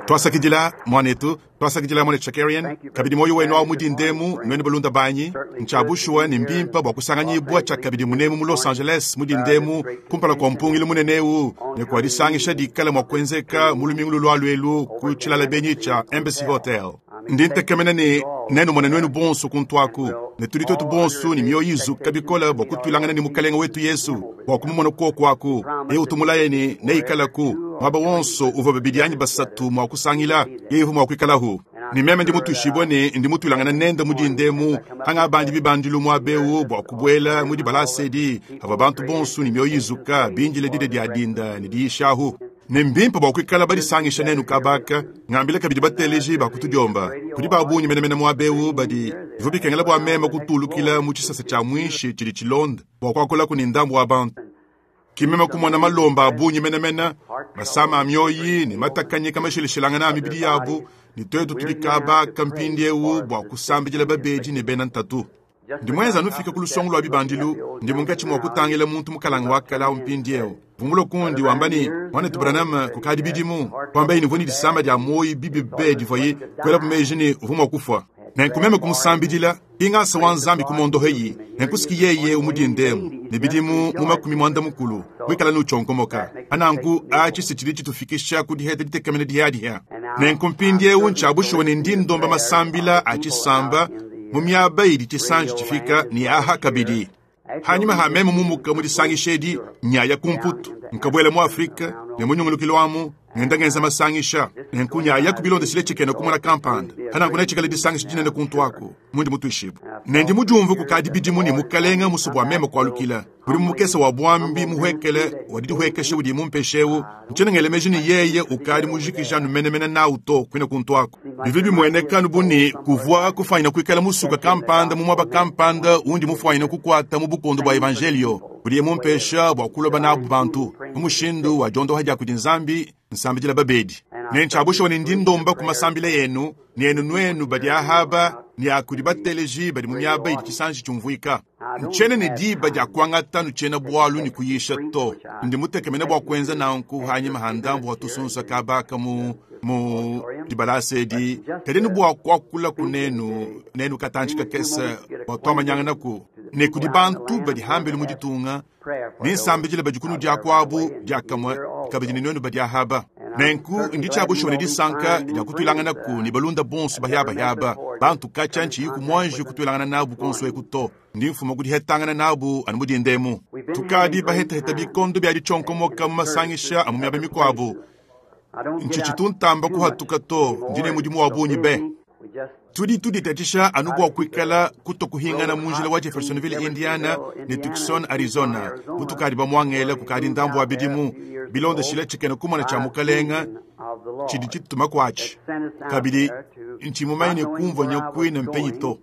Tuasakidila, muanetu. Tuasakidila, muanetu Shakarian. Kabidi muoyo wenu awu mu dinda emu, nuenu balunda banyi. Ntshia bushuwa ne mbimpe bua kusanganyibua tshiakabidi munemu mu Los Angeles mu dinda emu kumpala kua mpungilu munene eu ne kua disangisha dikala mua kuenzeka mu lumingu lulualua elu ku tshilala benyi tshia Embassy Hotel. Ndi ntekemena ne nenumone nuenu bonso kuntu aku, ne tudi tuetu bonso ne mioyo izuka bikole bua kutuilangana ne Mukalenge wetu Yesu, bua kumumona kuoku aku. Yeye utu mulaye ne, neikalaku muaba wonso uvua babidi anyi basatu mua kusangila, yeye uvua mua kuikalahu. Ne meme ndi mutuishibue ne ndi mutuilangana nende mu dinda emu, pangabandi bibandilu muaba eu bua kubuela mu dibalasa edi, avua bantu bonso ne mioyo izuka bindile dida dia dinda ne diyishahu. Ne mbimpe bua kuikala badisangisha nenu kaba aka. Ngambila kabidi bateleji ba ku tudiomba, kudi ba bungi menemene muaba eu badi bivua bikengela bua meme kutulukila mu tshisasa tshia muinshi tshidi tshilonda bua kuakulaku ne ndambu wa bantu. Ke meme kumona malomba a bungi menemene, masama a mioyi ne matakanyika mashilashilangane a mibidi yabu, ne twetu tudi kaba aka mpindieu bua kusambidila babedi ne bena ntatu. Ndi muenza anu fika ku lusongo lua bibandilu, ndi munkatshi mua kutangila muntu mukalanga wa kale awu mpindieu. Vungula kundi wamba ne, Muanetu Branham, kukadi bidimu, kuambaye ne uvua ne disama dia muoyo bibi be divuaye kuelapu meji ne uvua mua kufua. Nenku meme kumusambidila, ki ngasa wa Nzambi kumondoheyi, nenku siki yeye eu mu dinda emu, ne bidimu mu makumi muanda-mukulu, muikala ne utshionkomoka. Pa nanku, atshi si tshidi tshitufikisha ku diheta ditekemena dihiadihia. Nenku mpindieu ntshia bushuwa ne ndi ndomba masambila a tshisamba mu miaba idi tshisanji tshifika ne aha kabidi. Hanyima ha meme mumuka mu disangisha edi, nyaya ku Mputu, nkabuela mu Afrike ne mu nyungulukilu amu, ngenda ngenza masangisha. Nenku nyayaku bilondeshile tshikena kumona kampanda. Pa nanku netshikale disangisha dinene kuntu aku, mundi mutuishibue. Ne ndi mudiumvue kukadi bidimu ne Mukalenge musue bua meme kualukila. Mudimu mukese wa buambi muhuekele wa didihuekesha udiye mumpeshe eu, ntshiena ngela meji ne yeye ukadi mujikije anu menemene nawu to kuine kuntu aku. Bivua bimueneka anu bu ne, kuvua kufuanyine kuikala musuka kampanda mu muaba kampanda undi mufuanyine kukuata mu bukondo bua evanjeliyo budiye mumpesha bua kuloba nabu bantu mu mushindu wa diondoha dia kudi Nzambi, nsambidila babedi. Ne ntshia bushuwa ne ndi ndomba ku masambila enu ne enu nuenu badi ahaba ne a kudi bateleji badi mu miaba idi tshisanji tshiumvuika. Ntshiena ne diba dia kuangata anu tshiena-bualu ne kuyisha to. Ndi mutekemene bua kuenza nanku hanyima ha ndambu wa tusunsa kaba aka mu mu dibalasa edi, kadi anu bua kuakulaku nenu, nenu katantshi kakese bua tuamanyanganaku ne kudi bantu badi hambelu mu ditunga, ne nsambidila badi kunudi akuabu diakamue kabidi ne nuenu badi ahaba. Nenku ndi tshia bushuwa ne disanka dia kutuilanganaku ne balunda bonso bahiabahiaba, bantu katshia ntshiyiku muanji kutuilangana nabu kuonso eku to. Ndi mfuma ku dihetangana nabu anu mu dinda emu. Tukadi bahetaheta bikondo bia ditshionkomoka mu masangisha a mu miaba mikuabu. Ntshitshitu ntamba kuhatuka to, ndi ne mudimu wa bungi be. Tudi tuditatshisha anu bua kuikala kutua kuhingana mu njila wa Jeffersonville, Indiana ne Tucson, Arizona, mutukadi bamuangele kukadi ndambu wa bidimu, bilondeshile tshikena kumona tshia Mukalenga tshidi tshitutuma kuatshi. Kabidi ntshi mumanye ne kumvua nyakuina mpenyi to.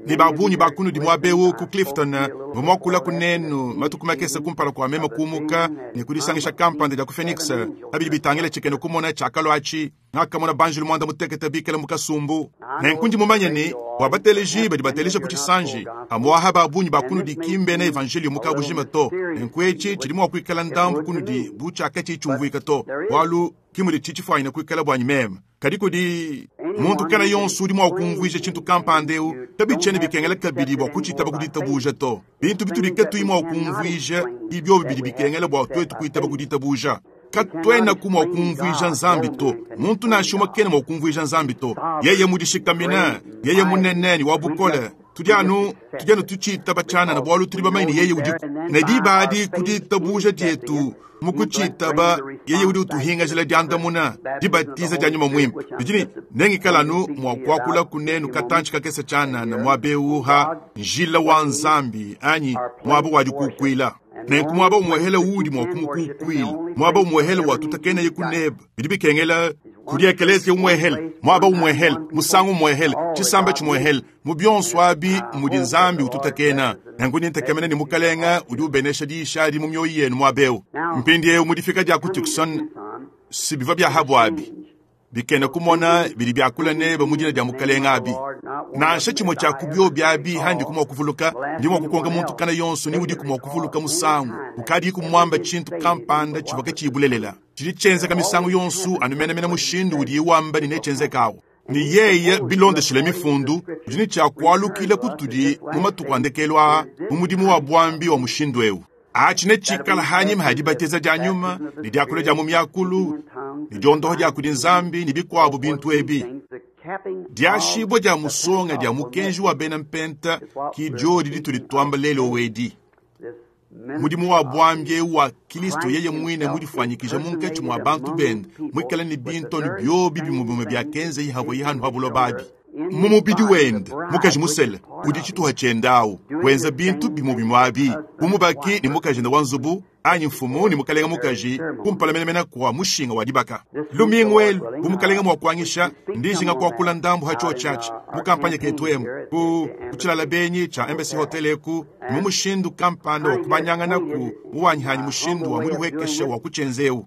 Ne ba bungi ba kunudi muaba eu ku Clifton mvua muakulaku nenu matuku makese kumpala kua meme kumuka ne ku disangisha kampanda dia ku Phoenix pa bidi bitangila tshikena kumona tshiakalua atshi. Ngakamona banjelu muanda mutekete bikale mu kasumbu. Nenku ndi mumanye ne, bua bateleji badi bateleja ku tshisanji, pamu'apa ba bungi ba kunudi ki mbena evanjeliyo mu kabujima to. Nenku etshi tshidi mua kuikala ndambu kunudi bu tshiakatshiyi tshiumvuika to, bualu ki muditshi tshifuanyine kuikala buanyi meme. Kadi kudi muntu kena yonso udi mua kumvuija tshintu kampanda eu, kabitshiena bikengela kabidi bua kutshitaba ku ditabuja to. Bintu bitudi katuyi mua kumvuija ki biobi bidi bikengela bua tuetu kuitaba ku ditabuja. Katuenaku mua kumvuija Nzambi to. Muntu nansha umue kena mua kumvuija Nzambi to. Yeye mudishikamine, yeye munene ne wa bukole. Tudi anu tudi anu tutshitaba tshianana bualu tudi bamanye ne yeye udiku. Ne diba adi ku ditabuja dietu mu kutshitaba, yeye udi utuhingajila diandamuna, dibatiza dia Nyuma Muimpe. Bidi ne nengikala anu mua kuakulaku nenu katantshi kakese tshianana muaba eu ha njila wa Nzambi anyi muaba wa dikukuila. Nenku muaba umuehele uudi mua kumukukuila, muaba umuehele watutakenaye ku nebe, bidi bikengela kudi ekeleziya umuehele, muaba umuehele, musangu umuehele, tshisamba tshimuehele. Mu bionso abi mudi Nzambi ututakena. Nenku ndi ntekemena ne Mukalenga udi ubenesha diyisha adi mu mioyo yenu muaba eu. Mpindieu mu difika dia ku Tucson, si bivua bia habu abi. Bikena kumona bidi biakula nebe mu dina dia Mukalenge abi. Nansha tshimue tshia ku biobi abi handiku mua kuvuluka, ndi mua kukonka muntu kana yonso ni udiku mua kuvuluka musangu ukadiku muamba tshintu kampanda tshivua katshiyi bulelela. Tshidi tshienzeka misangu yonso anu menemene mushindu udiye wamba ne netshienzekawu. Ne yeye, bilondeshile Mifundu, udi ne tshia kualukila kutudi mu matuku a ndekelu aa mu mudimu wa buambi wa mushindu eu. Atshi netshikala hanyima ha dibatiza dia nyuma ne diakula dia mu miakulu ne diondoha dia kudi Nzambi ne bikuabu bintu ebi. Diashibua dia musonga dia mukenji wa bena mpenta ki diodi ditudi tuamba lelu edi. Mudimu wa buambi eu wa Kilisto yeye muine mudifuanyikija munkatshi mua bantu bende, muikale ne bintu anu biobi bimue bimue biakenzeye havuaye hanu ha buloba abi. Mu mubidi wende, mukaji musele udi tshituha tshiende au, wenza bintu bimue bimue abi, bu mubaki ne mukajende wa nzubu, anyi mfumu ne mukalenga mukaji, kumpala menemene kua mushinga wa dibaka. Lumingu elu, bu mukalenga mua kuangisha, ndi njinga kuakula ndambu ha tshiotshi atshi mu kampanye ketu emu, ku tshilala benyi tshia Embassy Hotel eku, ne mu mushindu kampanda wa kubanyangana ku muwanyihanyi mushindu wa mudihuekesha wa kutshienza eu.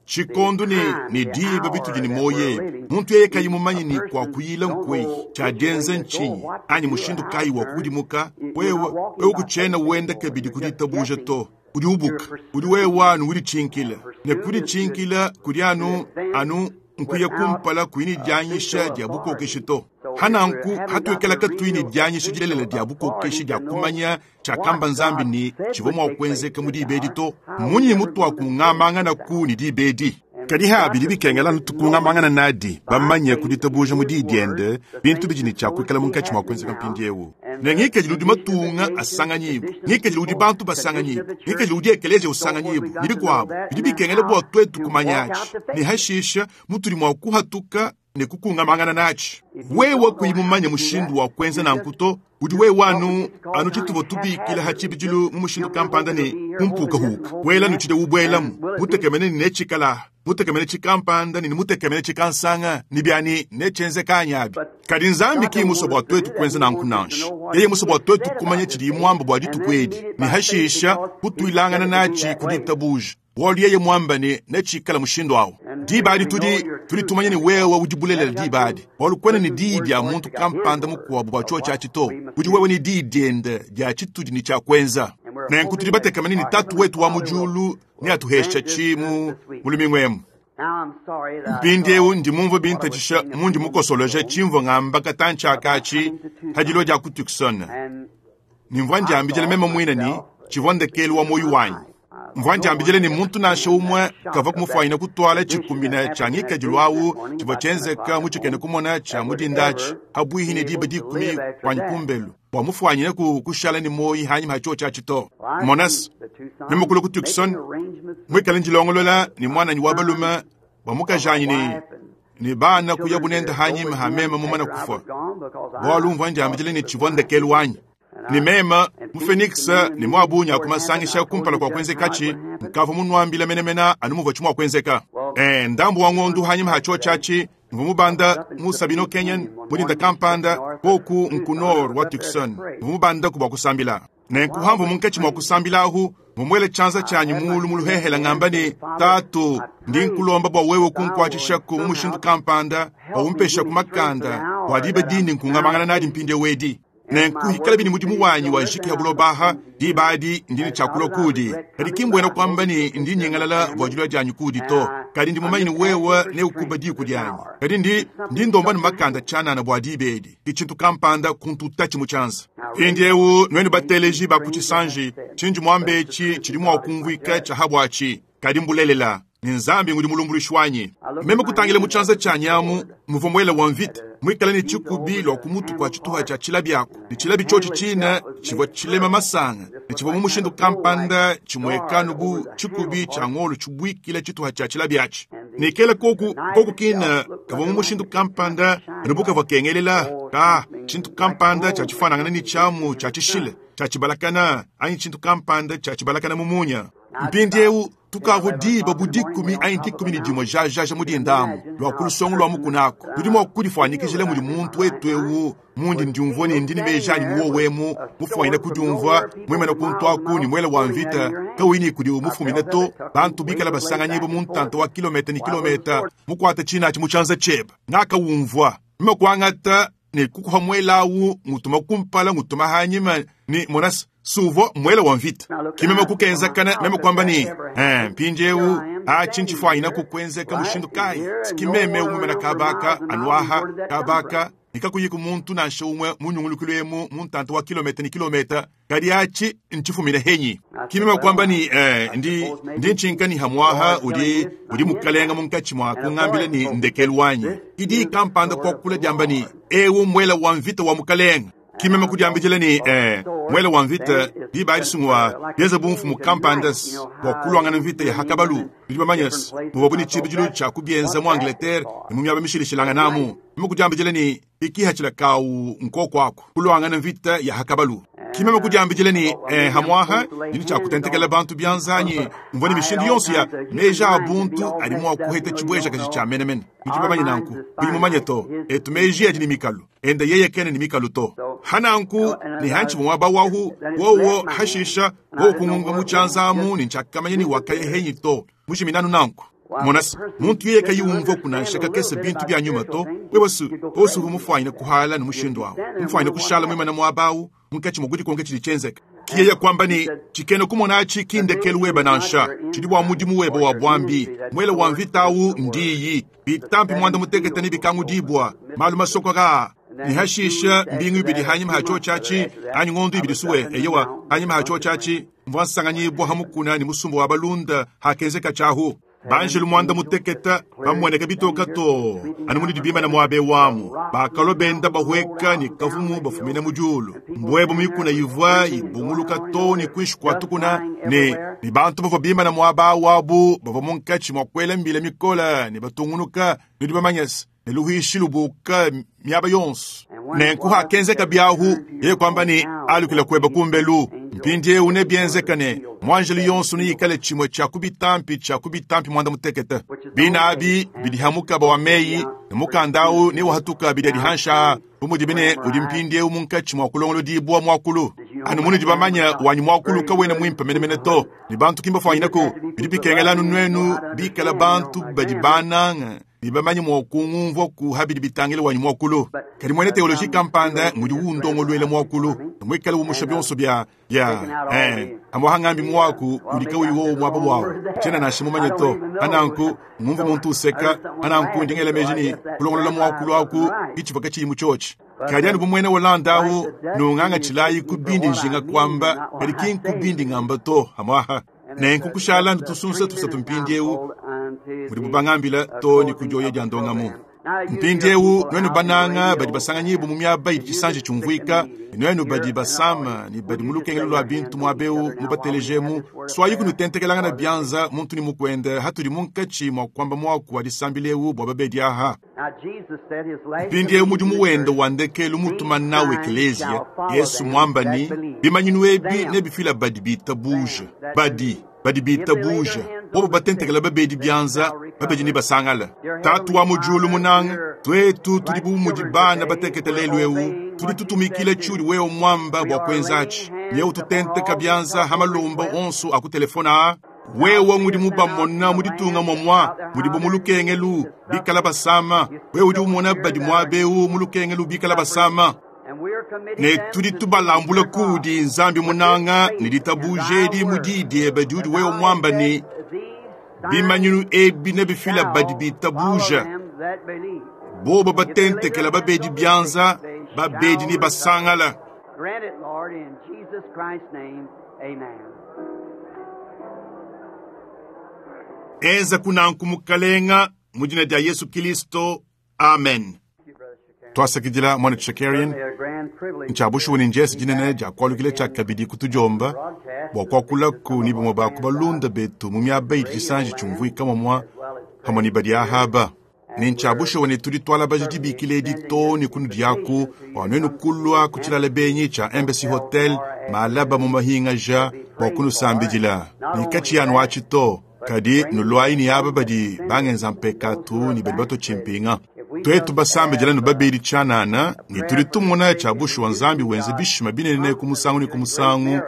Tshikondu ne ne diba bitudi ne muoyo ebi, muntu yeye kayi mumanye ne kua kuyila nkueyi, tshia dienza ntshinyi, anyi mushindu kayi wa kukudimuka, wewe, wewe kutshiena wenda kabidi ku ditabuja to. Udi ubuka, udi wewe anu uditshinkila, ne kuditshinkila kudi anu, anu nkuya kumpala kuyi ne dianyisha dia bukokeshi to. Hananku hatuikala katuyi ne dianyisha dilelela dia bukokeshi dia kumanya tshiakamba Nzambi ne tshivua mua kuenzeka mu diba edi to, mmunyi mutuakungamangana ku ne diba edi? Kadi ha bidi bikengela anu tukungamangana nadi, bamanye ku ditabuja mu diyi diende bintu bidi ne tshia kuikala munkatshi mua kuenzeka mpindieu. Ne ngikadilu udi matunga asanganyibua, ngikadilu udi bantu basanganyibua, ngikadilu udi ekeleziya usanganyibua, ne bikuabu, bidi bikengela bua tuetu kumanyatshi ne hashisha mutudi mua kuhatuka ne kukungamangana natshi. Wewe kuyi mumanye mushindu wa kuenza nanku to, udi wewe anu, anu tshituvua tubikila ha tshibidilu mu mushindu kampanda ne kumpukahuka, wela nutshidi ubuelamu, mutekemene ne netshikala, mutekemene tshikampanda ne mutekemene tshikansanga, ne biani netshienzeka anyi abi. Kadi Nzambi ki musue bua tuetu kuenza nanku nansha. Yeye musue bua tuetu kumanya tshidiye muamba bua dituku edi, ne hashisha kutuilangana natshi ku ditabuja. Bualu yeye muamba ne netshikala mushindu awu. Diba adi tudi, tudi tumanya ne wewe udi bulelela diba adi. Bualu kuena ne diyi dia muntu kampanda mukuabu bua tshiotshi atshi to. Udi wewe ne diyi diende dia tshitudi ne tshia kuenza. Nenku tudi batekemene ne Tatu wetu wa mu diulu neatuhesha tshi mu, mu lumingu emu. Mpindieu ndi mumvue bintatshisha mundi mukosoloje tshimvua ngamba katantshi aka atshi ha dilua dia ku Tucson. Ne mvua ndiambidila meme muine ne tshivua ndekelu wa muoyo wanyi. Mvua ndiambidila ne muntu nansha umue kavua kumufuanyina kutuala tshikumina tshia ngikadilu awu tshivua tshienzeka mu tshikena kumona tshia mu dinda atshi habuihi ne diba dikumi kuanyi kumbelu, bua mufuanyine ku kushala ne muoyo hanyima ha tshiotshi atshi to. Monas, meme kulua ku Tucson, muikale ndilongolola ne muananyi wa balume bua mukajanyi ne ne bana kuya bunende hanyima ha meme mumane kufua, bualu mvua ndiambidila ne tshivua ndekelu wanyi. Ne meme mu Phoenix ne mu abunyi akumasangisha kumpala kua kuenzekatshi, nkavua munuambila menemene anu muvua tshimua kuenzeka. Ndambu wa ngondu hanyima ha tshiotshi atshi, mvua mubanda mu Sabino Canyon mu dinda kampanda koku nku nord wa Tucson. Mvua mubanda ku bua kusambila. Nenku hamvua munkatshi mua kusambila ahu, mvua tshianza tshianyi mulu mu luhehela ngamba ne, Tatu, ndi nkulomba bua wewe kunkuatshishaku mu mushindu kampanda, bua umpesha ku makanda, bua diba dindi nkungamangana nadi mpindieu edi. Nenku hikala bini mudimu wanyi wa jiki ya buloba diba adi ndi ne tshiakulua kudi. Kadi ki mbuena kuamba ne ndi nyingalala bua dilua dianyi kudi to. Kadi ndi mumanye ne wewe neukuba diku dianyi. Kadi ndi, ndi ndomba ne makanda tshianana bua diba edi. Ki tshintu kampanda kuntutatshi mu tshianza. Mpindieu nuenu bateleji ba ku tshisanji, tshindi muambe etshi tshidi mua kumvuika tshia habuatshi. Kadi mbulelela, ne Nzambi ngudi mulumbuluishi wanyi. Meme kutangila mu tshianza tshianyi amu muvua muele wa mvita, muikale ne tshikubi lua ku mutu kua tshituha tshia tshilabi aku, ne tshilabi tshiotshi tshine tshivua tshilema masanga, ne tshivua mu mushindu kampanda tshimuekanu bu tshikubi tshia ngolo tshibuikila tshituha tshia tshilabi atshi. Ne kela koku, koku kina kavua mu mushindu kampanda anu bu kavua kengelela, ka tshintu kampanda tshia tshifuanangana ne tshiamu tshia tshishile tshia tshibalakana, anyi tshintu kampanda tshia tshibalakana mu munya. Mpindieu tukavua diba bu dikumi anyi dikumi ne dimue jajaja mu dinda amu lua ku lusongo lua mukuna aku. Tudi mua kudifuanyikijila mudi muntu wetu eu mundi ndiumvua ne ndi ne meji anyi muwowemu, mufuanyine kudiumvua muimane kuntu aku ne muele wa mvita kauyi ne kudi mufumine to, bantu bikala basanganyibua mu ntanta wa kilometa ne kilometa, mukuate tshinatshi mu tshianza tshiebe. Ngakawumvua meme kuangata Ne kukuha muela awu ngutuma kumpala ngutuma hanyima ne mona suvua muela wa mvita. Ki meme kukenzakana meme kuamba ne, eh, mpindieu atshi ntshifuanyina kukuenzeka mushindu kayi? Ki meme umumena kabaka anuaha kabaka ne kakuyiku muntu nansha umue mu nyungulukilu emu mu ntanta wa kilometa ne kilometa, kadi atshi ntshifumine henyi? Ki meme kuamba ne, eh, ndi ndi ntshinka ne hamuaha udi udi mukalenga munkatshi mua kungambila ne ndekelu wanyi. Idi kampanda kuakula diamba ne, eu muela wa mvita wa mukalenga. Ki meme kudiambidila ne, eh, muela wa mvita diba adi sungua bienza bu mfumu kampanda bua kuluangana mvita ya hakabalu. Nudi bamanye muvuabu ne tshibidilu tshia kubienza mu Angleterre ne mu miaba mishilashilanganamu. Meme kudiambidila ne, ikihatshila kawu nkoko aku kuluangana mvita ya hakabalu. Ki meme kudiambidila ne, eh, hamuaha ndi tshia kutentekela bantu bianza anyi mvua ne mishindu yonso ya meji a buntu adi mua kuheta tshibuejakaji tshia menemene. Nudi bamanye nanku, kuyi mumanye to. Etu meji adi ne mikalu, enda yeye kena ne mikalu to. Hananku ne hantshi muaba wahu wowo hashisha wowo kungunga mu tshianza amu ne ntshiakamanya ne wakaya henyi to. Mujiminanu nanku. Mona se, muntu yeye kayi umvua kunansha kakese bintu bia nyuma to, wewe su osu mufuanyine kuhala ne mushindu awu. Mufuanyine kushala muimana muaba awu, munkatshi mua kudikonka tshidi tshienzeka. Ki yeye kuamba ne, tshikena kumona atshi ki ndekelu webe nansha, tshidi bua mudimu webe wa buambi. Muele wa mvita awu ndiyi, bitampi muanda mutekete ne bikangudibua, malu masokoka. Ne hashisha mbingu ibidi hanyima ha tshiotshi atshi, anyi ngondu ibidi suwe, eyewa, hanyima ha tshiotshi atshi, mvua nsanganyibua hamukuna ne musumba wa balunda hakenzeka tshiahu. Banjelu muanda muteketa bamueneka bitoka to anu munudi bimana muabe wamu bakalo benda bahweka ne kavumu bafumina mu diulu mbwebo mikuna ivua ibunguluka to ne kuinshi kua tukuna ne ne bantu bavua bimana muaba wabu bavua munkatshi mua kuela mbila mikola ne batungunuka nudi bamanye se ne luhishi lubuka miaba yonso. Nenku hakenzeka biahu yeye kuamba ne alukila kueba kumbelu. Mpindieu nebienzeka ne muanjelu yonso neyikale tshimue tshia ku bitampi tshia ku bitampi muanda mutekete. Bina abi bidi ha mukaba wa meyi ne mukanda awu newahatuka bidi adi hansha bu mudi bine udi mpindieu munkatshi mua kulongolodibua muakulu. Anu munudi bamanya wanyi muakulu kawena muimpe menemene to ne bantu kimbafuanyinaku bidi bikengela anu nuenu bikala bantu badi bananga ne bamanye mua kungumvua ku habidi bitangile wanyi muakulu. Kadi muena teoloji kampanda ngudi undongoluela muakulu ne muikale umusha bionso bia ya amwa hangambi muaku udi kauyi wowo muaba wawu tshiena nansha mumanye to. Ananku ngumvu muntu useka, ananku ndi ngela meji ne kulongolola muakulu aku itshivua katshiyi mu tshiotshi. Kadi anu bu muena Holanda awu nungangatshilayi ku bindi njinga kuamba, kadi ki nku bindi ngamba to amwaha. Nenku kushala ntusunsa tusatu mpindieu mudibu bangambila to ne kudioya dia ndongamu. Mpindieu nuenu bananga badi basanganyibu mu miaba idi tshisanji tshiumvuika, nuenu badi basama ne badi mu lukengelo lua bintu muabeu mubatelejemu, swayi kunutentekelangana bianza muntu ne mukwende hatudi munkatshi mua kuamba muaku wa disambila eu bua babedi aha. Mpindieu mudimu wende wa ndekelu mutuma nawu ekeleziya, Yesu muamba ni bimanyinu ebi nebifila badi bitabuja, badi badi bitabuja bobo batentekela babedi bianza babedi ne basangala. Tatu wa mu diulu munanga, twetu tudi bu mudi bana batekete lelu eu, tudi tutumikila tshiudi wewe muamba bua kuenzatshi. Nyeu tutenteka bianza ha malomba onso a ku telefona a. Wewe ngudi mubamona mu ditunga momwa mudibu mu lukengelu bikala basama. Wewe udi umona badi muabeu mu lukengelu bikala basama. Ne tudi tubalambula kudi Nzambi munanga ne ditabuje mu diyi diebe diudi wewe muamba ne bimanyinu ebi nebifila badi bitabuja. Bobo batentekela babedi bianza, babedi ne basangala. Grant it, Lord, in Jesus Christ's name. Amen. Enza kunanku mukalenga mu dina dia Yesu Kristo. Amen. Twasakidila mwana Shakarian, ntshiabushuwa ne njesi dinene dia kualukila tshia kabidi kutudiomba bua kuakulaku ne bamue ba ku balunda betu mu miaba idi tshisanji tshiumvuika momwa hamwe ne badi ahaba. Ne ntshiabushuwa ne tudi twalabaja dibikila edi to ne kunu diaku bua nuenu kulua ku tshilala benyi tshia Embassy Hotel malaba mu mahingaja bua kunusambidila. Ne katshi yanu atshi to, kadi nuluayi ne aba badi bangenza mpekatu ne badi batotshi mpinga. Twetu basambidila nu babedi tshianana ne tudi tumona tshiabushuwa Nzambi wenza bishima binene ku musangu ne ku musangu,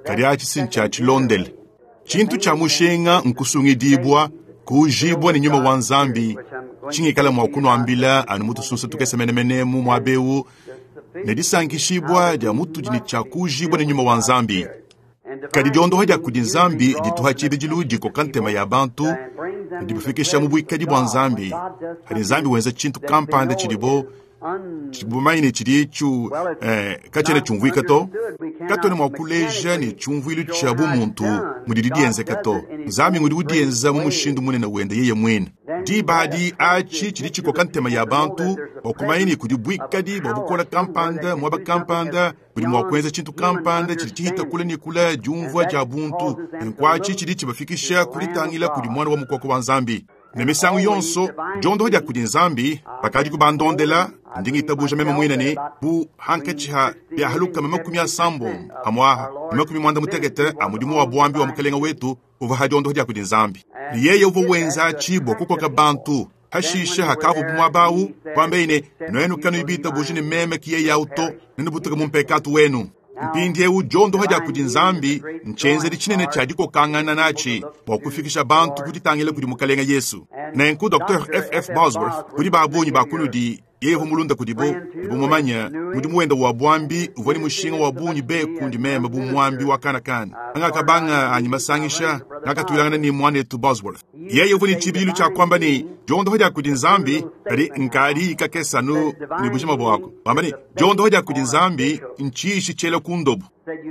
kadi atshi si ntshia tshilondele. Tshintu tshia mushinga nkusungidibua, kuujibua ne nyuma wa Nzambi. Tshingikala mua kunuambila anu mu tusunsa tukese menemene mu muaba eu, ne disankishibua dia mutudi ne tshia kuujibua ne nyuma wa Nzambi. Kadi diondoha dia kudi Nzambi dituha tshibidilu dikoka ntema ya bantu ne dibafikisha mu buikadi bua Nzambi. Hadi Nzambi wenza tshintu kampanda tshidibo tshidibo bamanye ne tshidi tshiu katshiena tshiumvuika to. Katuena mua kuleja ne tshiumvuilu tshia bumuntu mudidi dienzeka to. Nzambi ngudi udienza mu mushindu munene wende yeye muine. Diba adi atshi tshidi tshikoka ntema ya bantu bua kumanya ne kudi buikadi bua bukole kampanda muaba kampanda budi mua kuenza tshintu kampanda tshidi tshihita kule ne kule diumvua dia buntu. Nkuatshi tshidi tshibafikisha ku ditangila kudi Muana wa Mukoko wa Nzambi. Ne misangu yonso diondoha dia kudi Nzambi bakadi kubandondela, ndi ngitabuja meme muine ne bu hankatshi ha biahalukama 80 amwaha 90 a mudimu wa buambi wa Mukelenge wetu uvua ha diondoha dia kudi Nzambi. Ne yeye uvua wenza tshibua kukoka bantu hashisha hakavu bumwabau kwambe ne nwenu kanu bitabuja ne meme kiye yau to nenubutuka mu mpekatu wenu. Mpindieu diondoha dia kudi Nzambi ntshenzedi tshinene tshia dikokangana natshi bua kufikisha bantu ku ditangila kudi Mukelenge Yesu. Nenku Dr. F.F. Bosworth kudi babunyi ba kunudi yeye uvua mulunda kudibo ne bumumanya mudimu wende wa buambi uvua ne mushinga wa bungi be kundi meme bu muambi wa kanakana. Ngakabanga anyi masangisha ngakatuilangana ne mwanetu Bosworth. Yeye uvua ne tshibidilu tshia kuamba ne diondoha dia kudi Nzambi kadi nkadi ikakesanu ne bujima buako. Wamba ne diondoha dia kudi Nzambi ntshiishi tshiela ku ndobo.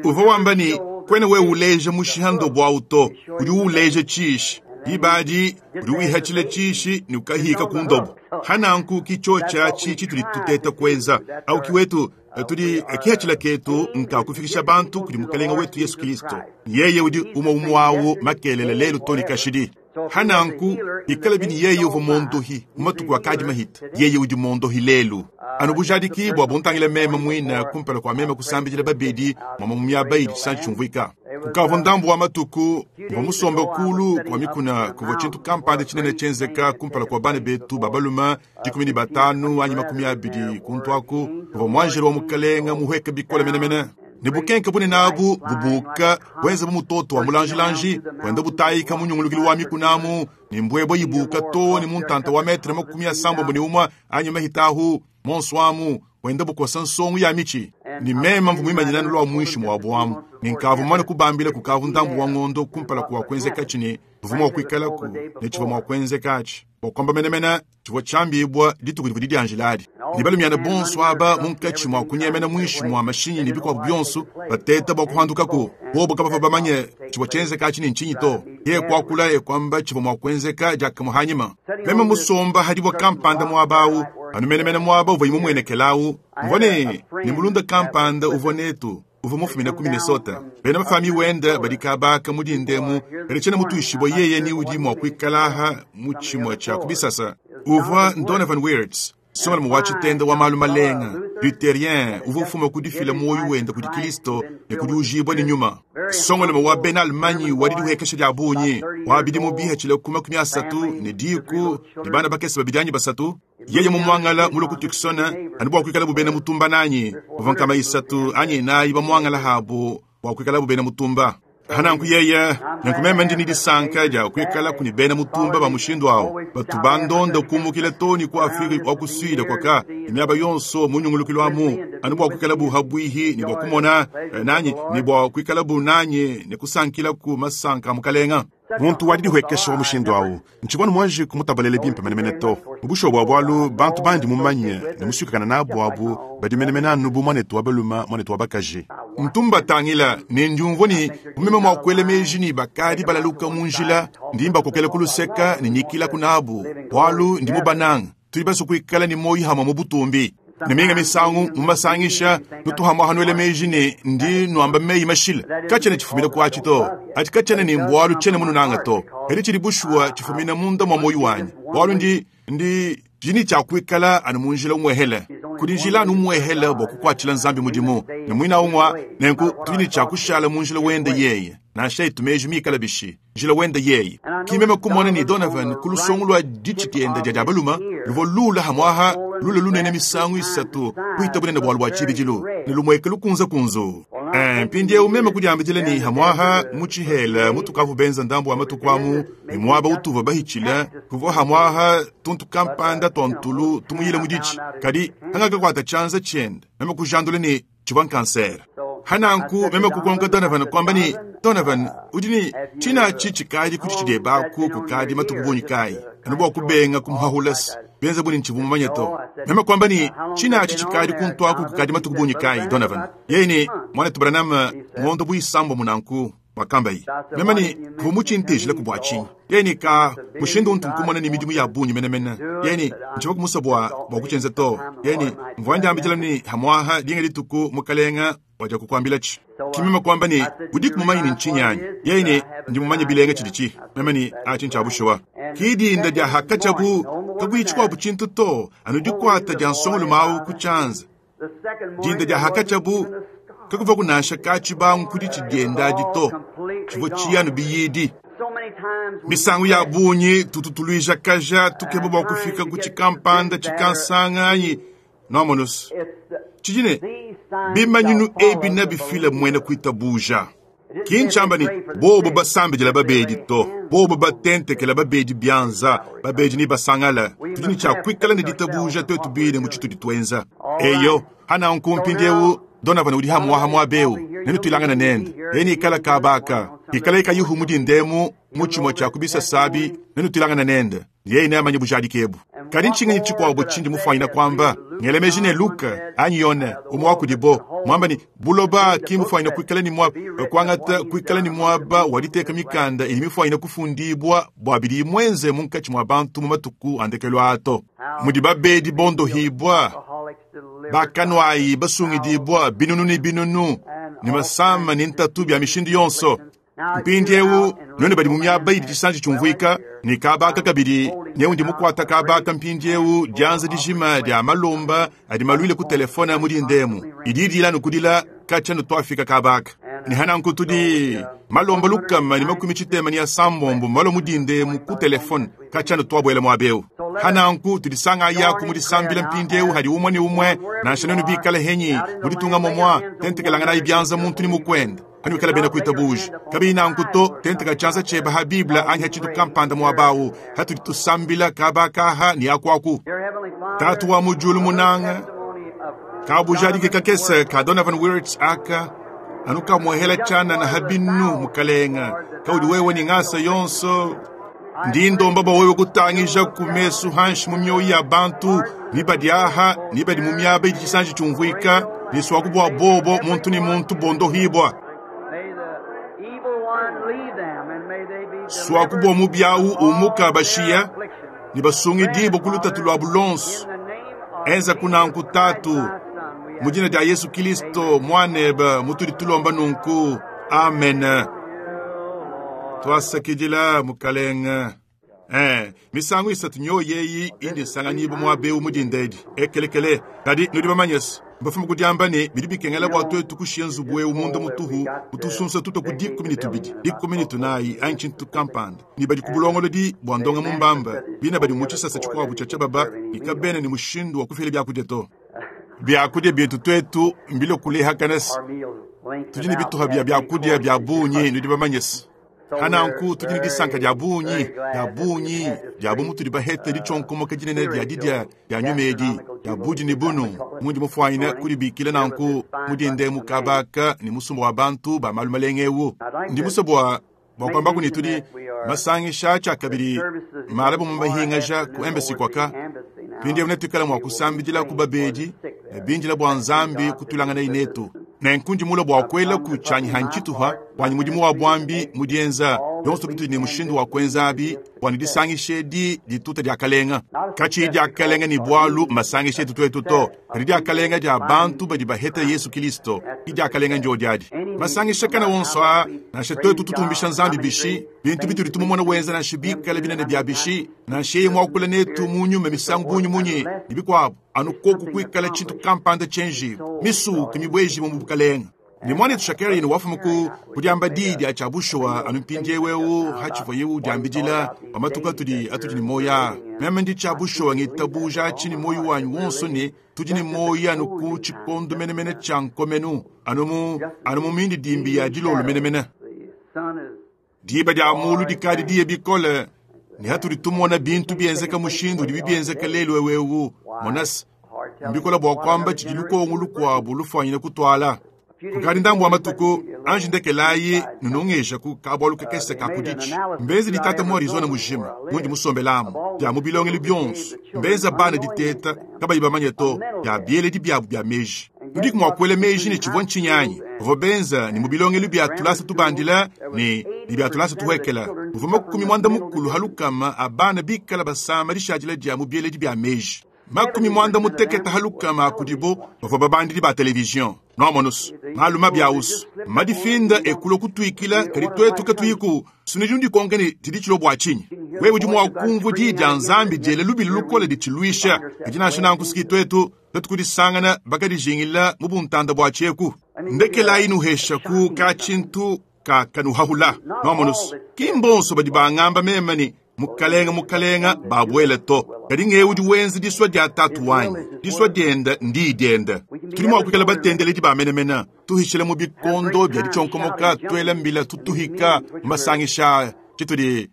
Uvua wamba ne kwena wewe uleja mushiha ndobo awu to, udi uleja tshiishi. Dibadi udi wihatshila tshiishi ne ukahika ku ndobo. Hananku kichocha chi chituli tuteta kuenza au kiwetu tudi kihatshila ketu nka kufikisha bantu kudi Mukelenge wetu Yesu Kristo. Yeye udi umwe umwawu makelele lelu toni kashidi. Hananku ikala bini yeye uvua mondohi mu matuku akadi mahita, yeye udi mondohi lelu. Anu bujadiki bua buntangila meme muine kumpala kua meme kusambidila babedi mwa mu miaba idi tshisantshiumvuika. Kukavua ndambu wa matuku mvua musombe kulu kwa mikuna kuvua tshintu kampanda tshinene tshienzeka kumpala kua bana betu ba balume 15 anyi 20 kuntu aku kuvua mwanjelo wa Mukelenge muhweka bikole menemene. Ne bukenke bunene abu bubuka bwenza bu mutoto wa mulanjilanji wenda butayika munyungulukilo wa mikunamu ne mbwebwe ibuka to ne muntanta wa metre 71 anyi mahitahu monswamu wenda bukosa nsongo ya michi. Ni mema mvu mwimanyina lwa mwishi mwa bwamu ni nkavu mwana kubambila kukavu ndambu wa ngondo kumpala kuwa kwenzeka chini mvumo wa kuikalaku ne chiva mwa kwenzeka achi bwa menemene chivwa chambibwa dituku divudi dianjiladi. Ni balumiana bonso aba munkatshi mwa kunyemena mwishi mwa mashinyi ne bikwabu bionso bateta bwa kuhandukaku bobo kabava bamanye chivwa chenzeka achi ni nchinyi to ye kwakula ye kwamba chivwa mwa kwenzeka jakamuhanyima. Meme musomba hadibwa kampanda mwabawu anu menemene mwaba uvwa imumwenekelawu mvone ni mulunda kampanda uvwa netu uvwa mufumina ku Minnesota. Bena mafami wenda badikabaka mudindemu kadi tshiena mutuishibwa yeye ni udi mua kuikalaha mu tshimue tshia kubisasa. Uvwa Donovan Weerts songala mu wa tshitenda wa malu malenga luthérien uvwa ufuma kudifila moyo wenda kudi Kristo ne kudi ujibwa ne nyuma. Songala mu wa bena Allemagne wa diduhekesha dia bunyi wa bidimu bihatshila ku 30 ne diku ne bana bakese babidi anyi basatu. Yeye mumwangala mulo ku Tucson anu bua kuikala bubena mutumba nanyi buvua nkama isatu anyi nayi bamwangala habo bua kuikala bubena mutumba. Hananku yeye nanku meme ndi ni disanka dia kuikala kuni bena mutumba ba mushindu awo batu bandonda kumukila toni ku Afrika wa ku Sud kwaka imiaba yonso munyungulukilo amu anu bua kuikala bu habwihi ni bua kumona nanyi ni bua kuikala bu nanyi ne kusankila ku masanka mukalenga. Muntu wadi dihwekesha wa mushindu awu ntshibona mwanji kumutabalele bimpe menemene to mubusho bwa bwalu bantu bandi mumanye ne musukakana nabo abu badi menemene anu bu mwanetu wa baluma mwanetu wa bakaji. Ntumba tangila ne ndiumvua ni mumeme mwa kuela meji ni bakadi balaluka mu njila ndimba kokela kuluseka ne nyikila kunabu bwalu ndi mubananga tuli baso kuikala ni moyi hamwe mu butumbi. Ne minga misangu mumasangisha nutuhamwa hanuele meji ne ndi nuamba meyi mashila kachene chifumina kwa chito ati kachene ni mbwalu chene mununanga to eri chili bushuwa chifumina munda mwa moyi wanyi bwalu ndi jini cha kuikala anu munjila umwehele kudi njila anu umwehele bwa kukwatshila Nzambi mudimu ne mwina umwa nenku tuli cha kushala munjila wende yeye nansha itumeji mikala bishi njila wende yeye kimeme kumona ni Donovan kulusongo lwa ditshitenda dia diabaluma luvua lula hamwaha lula lunene misangu isatu kuita bunene bwalu bwa tshibidilu ne lumweke lukunza kunzu. Mpindieu meme kudiambidila ne hamwaha mu tshihela mutukavu benza ndambu wa matuku amu ne muaba utuva bahitshila kuvua hamwaha tuntu kampanda tua ntulu tumuyile mu ditshi kadi hangakakuata tshianza tshiende meme kujandula ne tshivua nkansere. Hananku meme kukonka Donovan kwamba ni Donovan udi ni tshinatshi tshikadi kudi tshidebaku kukadi matuku bungi kayi anu bua kubenga kumuhahulasi benza buni ntshivu mumanye to. Meme kwamba ni tshinatshi tshikadi kuntwaku kukadi matuku bungi kayi Donovan. Yeye ni mwanetu Branham ngondo buisambo munanku wakambayi. Meme ni kuva muchintejile ku bua tshinyi. Yeye ni ka mushindu untu nkumona ni midimu ya bungi menemene. Yeye ni ntshiva kumusa bua kutshenza to. Yeye ni mvua ndiambidila ni hamwaha linga lituku mukalenga waja kukwambila chi. Kimema kwamba ni udiku mumanyi ni ntshinyi anyi. Yeye ni ndi mumanyi bilenga tshidi Meme ni achi ntshabushuwa. Kidinda dia hakatshabu kakuitshikwabu tshintu to anu dikwata dia nsongolo mawu ku tshianza. Dinda dia hakatshabu kakuva kunasha katshibangu kudi tshidiendadi to tshivua tshiyanu biyidi. Misangu ya bungi tututuluija kaja tukeba bua kufika ku tshikampanda tshikansanganyi nomonusu. Tshidine bimanyinu ebi na bifila mwene kuitabuja. Kinchamba ni bobo basambidila babedi to bobo batentekela babedi bianza babedi ni basangala tudi ni tshiakuikala ne ditabuja twetu bine mu tshitudi twenza. Eyo hana nkumpindiewu Donovan udi hamuaha muabeu nenu tuilangana nende yeni ikala kabaka ikala ikayuhu mudi ndemu mu tshimue tshia kubisa sabi nenu tuilangana nende yeye neamanye bujadiki ebu. Kadi ntshinganyi tshikuabu tshindi mufwanyina kwamba ngelemeji ne Luka anyi Yone umwe wa kudibo mwamba ni buloba ki mufwanyina kuikala ni mwaba kwangata kuikala ni mwaba waliteka mikanda ili mifwanyina kufundibwa bua bidi mwenze munkatshi mwa bantu mu matuku andekelwa ato mudi babedi bondohibwa bakanwayi basungidibwa binunu ni binunu ni masama ni ntatu bya mishindu yonso. Mpindiewu none badi mu miaba idi tshisanji tshiumvuika ni kabaka kabidi neu ndi mukwata kabaka mpindiewu dianza dijima dia malomba adi malwile ku telefone mudi ndemu idi idila nukudila katshia nutwafika kabaka ni hananku tudi malomba lukama ni makumi tshitema ni asambombo malo mudi ndemu ku telefone katshia nutwabwela muabeu. Hananku tudisanga yaku mudisambila mpindiewu hadi umwe ni umwe nansha nenu bikala henyi muditunga momwa tentekelangana ibyanza muntu ni mukwenda hani wikala bena kuitabuja kabili nanku to tenteka tshianza tshieba ha biblia anyi ha tshintu kampanda muabawu hatudi tusambila kabakaha ni akwaku. Tatu wa mujulu munanga kabujadike kakese ka Donovan Wirtz aka anu kamuhela tshana na habinu mukalenga kaudi wewe ni ngasa yonso ndi ndomba bua wewe kutangija ku mesu hanshi mu mioyo ya bantu ni badi aha ni badi mu miaba idi tshisanji tshiumvuika ni swaku bua bobo muntu ni muntu bondohibwa. Swaku bua mubiawu umuka bashiya ni basungidibo ku lutatu lua bulonso enza kunanku tatu mu dina dia Yesu Kristo mwaneba mutudi tulomba nunku amen. Twasakidila mukalenga. Misangu isatu nyo yeyi indi nsanganyibo muabeu mudindedi ekelekele kadi nudi bamanyesi mbafumu kudiamba ne bidi bikengela bua twetu kushiya nzubu ewu munda mutuhu mutusunsa tuta ku 12 19 anyi tshintu kampanda ni badi ku bulongolodi bua ndonga mumbamba bina badi mu tshisasa tshikuabu tshia tshiababa ikabene ni mushindu wa kufila biakudia to. Biakudia bietu twetu mbilo kulehakanasi tudi ne bituha bia biakudia bia bungi nudi bamanyesi. Hananku tudi ne disanka dia bungi dia bungi dia bu mutudi bahete ditshonkomoka dinene dia didia dia nyuma edi dia budi ne bunu mundi mufwanyina kudibikila nanku mudinde mukabaka ni musumba wa bantu ba malu malenge ewu. Ndi musa bua kwambaku ni tudi masangisha tshia kabidi mala bu mumahingaja ku embassy kwaka pindiewu netuikala mua kusambidila ku babedi ne bindila bua Nzambi kutulangana inetu. Nenkundi mula bua kuela ku tshianyi hantshituha wanyi mudimu wa bwambi mudienza yonso bitudi ne mushindu wa kuenza abi bua ne disangisha edi dituta dia kalenga. Katshi dia kalenga ni bwalu masangisha etu twetu to kadi dia kalenga dia bantu badi baheta Yesu Kristo ki dia kalenga ndio diadi. Masangisha kana wonso a nansha twetu tutumbisha Nzambi bishi bintu bitudi tumumona wenza nansha bikala binene bia bishi nansha yeye mwakula netu mu nyuma misangu bunyi munyi ni bikwabu anu koku kuikala tshintu kampanda tshenji misuku mibweji mu bukalenga. Ne muanetu Shakarian wafuma ku kudiamba diyi dia tshia bushuwa anu mpindiewu eu hatshivuaye udiambidila pa matuku atudi atudi ne muoyo aa. Meme ndi tshia bushuwa ngitabuja atshi ne muoyo wanyi wonso ne tudi ne muoyo anu ku tshikondo menemene tshia nkomenu, anu mu anu mu mindidimbi ya dilolo menemene. Diba dia mulu dikadi diye bikole ne hatudi tumona bintu bienzeka mushindu udibi bienzeka lelu eu, monase mbikola bua kuamba tshidi lukongo lukuabu lufuanyine kutuala. Kukadi ndambu wa matuku, anji ndekelayi nunungesha ku kabualu kakese ka kuditshi. Mbenze ditata mu Arizona mujima, mundi musombelamu, dia mu bilongelu bionso. Mbenza bana diteta, kabayi bamanye to, dia bieledi biabu bia meji. Nudiku mua kuela meji ne tshivua ntshinyanyi. Bavua benza ne mu bilongelu bia tulasa tubandila ne ne bia tulasa tuhuekela. Muvua 80 halukama a bana bikala basama dishadila dia mu bieledi bia meji. 60 halukama kudibo bavua babandidi ba television. Noamonusu malu mabi ausu madifinda ekulo kutuikila kadi twetu katuyiku sunidi ndikonke ne tshidi tshilo bua tshinyi. Wewe udi mua kumvua diyi dia Nzambi diele lubili lukole ditshiluisha kadi nansha nanku siki twetu twetu kudisangana bakadijingila mu buntanda bua tshieku. Ndekelayi nuhesha ku ka tshintu ka kanuhahula. Noamonusu ki mbonso badi bangamba mema ne mukalenga mukalenga babuele to. Kadi ngewe udi wenza disua dia tatu wanyi, disua dienda ndi dienda. Tudi mua kuikala batendeledi ba menemene, tuhishile mu bikondo bia ditshonkomoka, tuela mbila tutuhika masangisha tshitudi.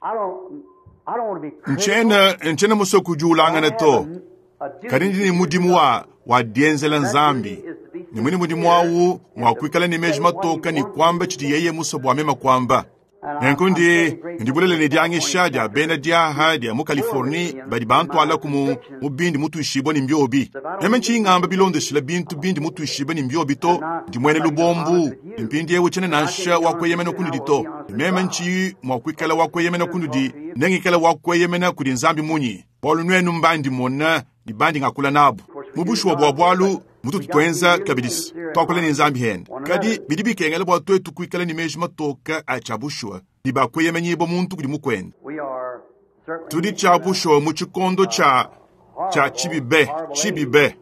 Ntshiena ntshiena musue kudiulangana to. Kadi ndi ne mudimu wa wa dienzela Nzambi. Ne mwine mudimu awu mua kuikala ne meji matoka ne kuamba tshidi yeye musue bua meme kuamba. Nenku ndi ndibulele ne diangisha dia bena diaha dia mu Californie badi bantuala ku mu mu bindi mutuishibua ne mbiobi. Meme ntshingamba bilondeshila bintu bindi mutuishibua ne mbiobi to, ndi muena lubombu, mpindiewu tshiena nansha wa kueyemena kunudi to. Meme ntshi mua kuikala wa kueyemena kunudi, nengikala wa kueyemena kudi Nzambi munyi? Bualu nuenu mbandi mona ne bandi ngakula nabu. Mu bushuwa bua bualu mutu tuenza kabidi tuakula ne Nzambi hende. Kadi bidi bikengela bua twetu kuikala ne meji matoka a tshia bushuwa ne bakueyemenyibua muntu kudi mukuende. Tudi tshia bushuwa mu tshikondo tshia tshia tshibibe tshibibe.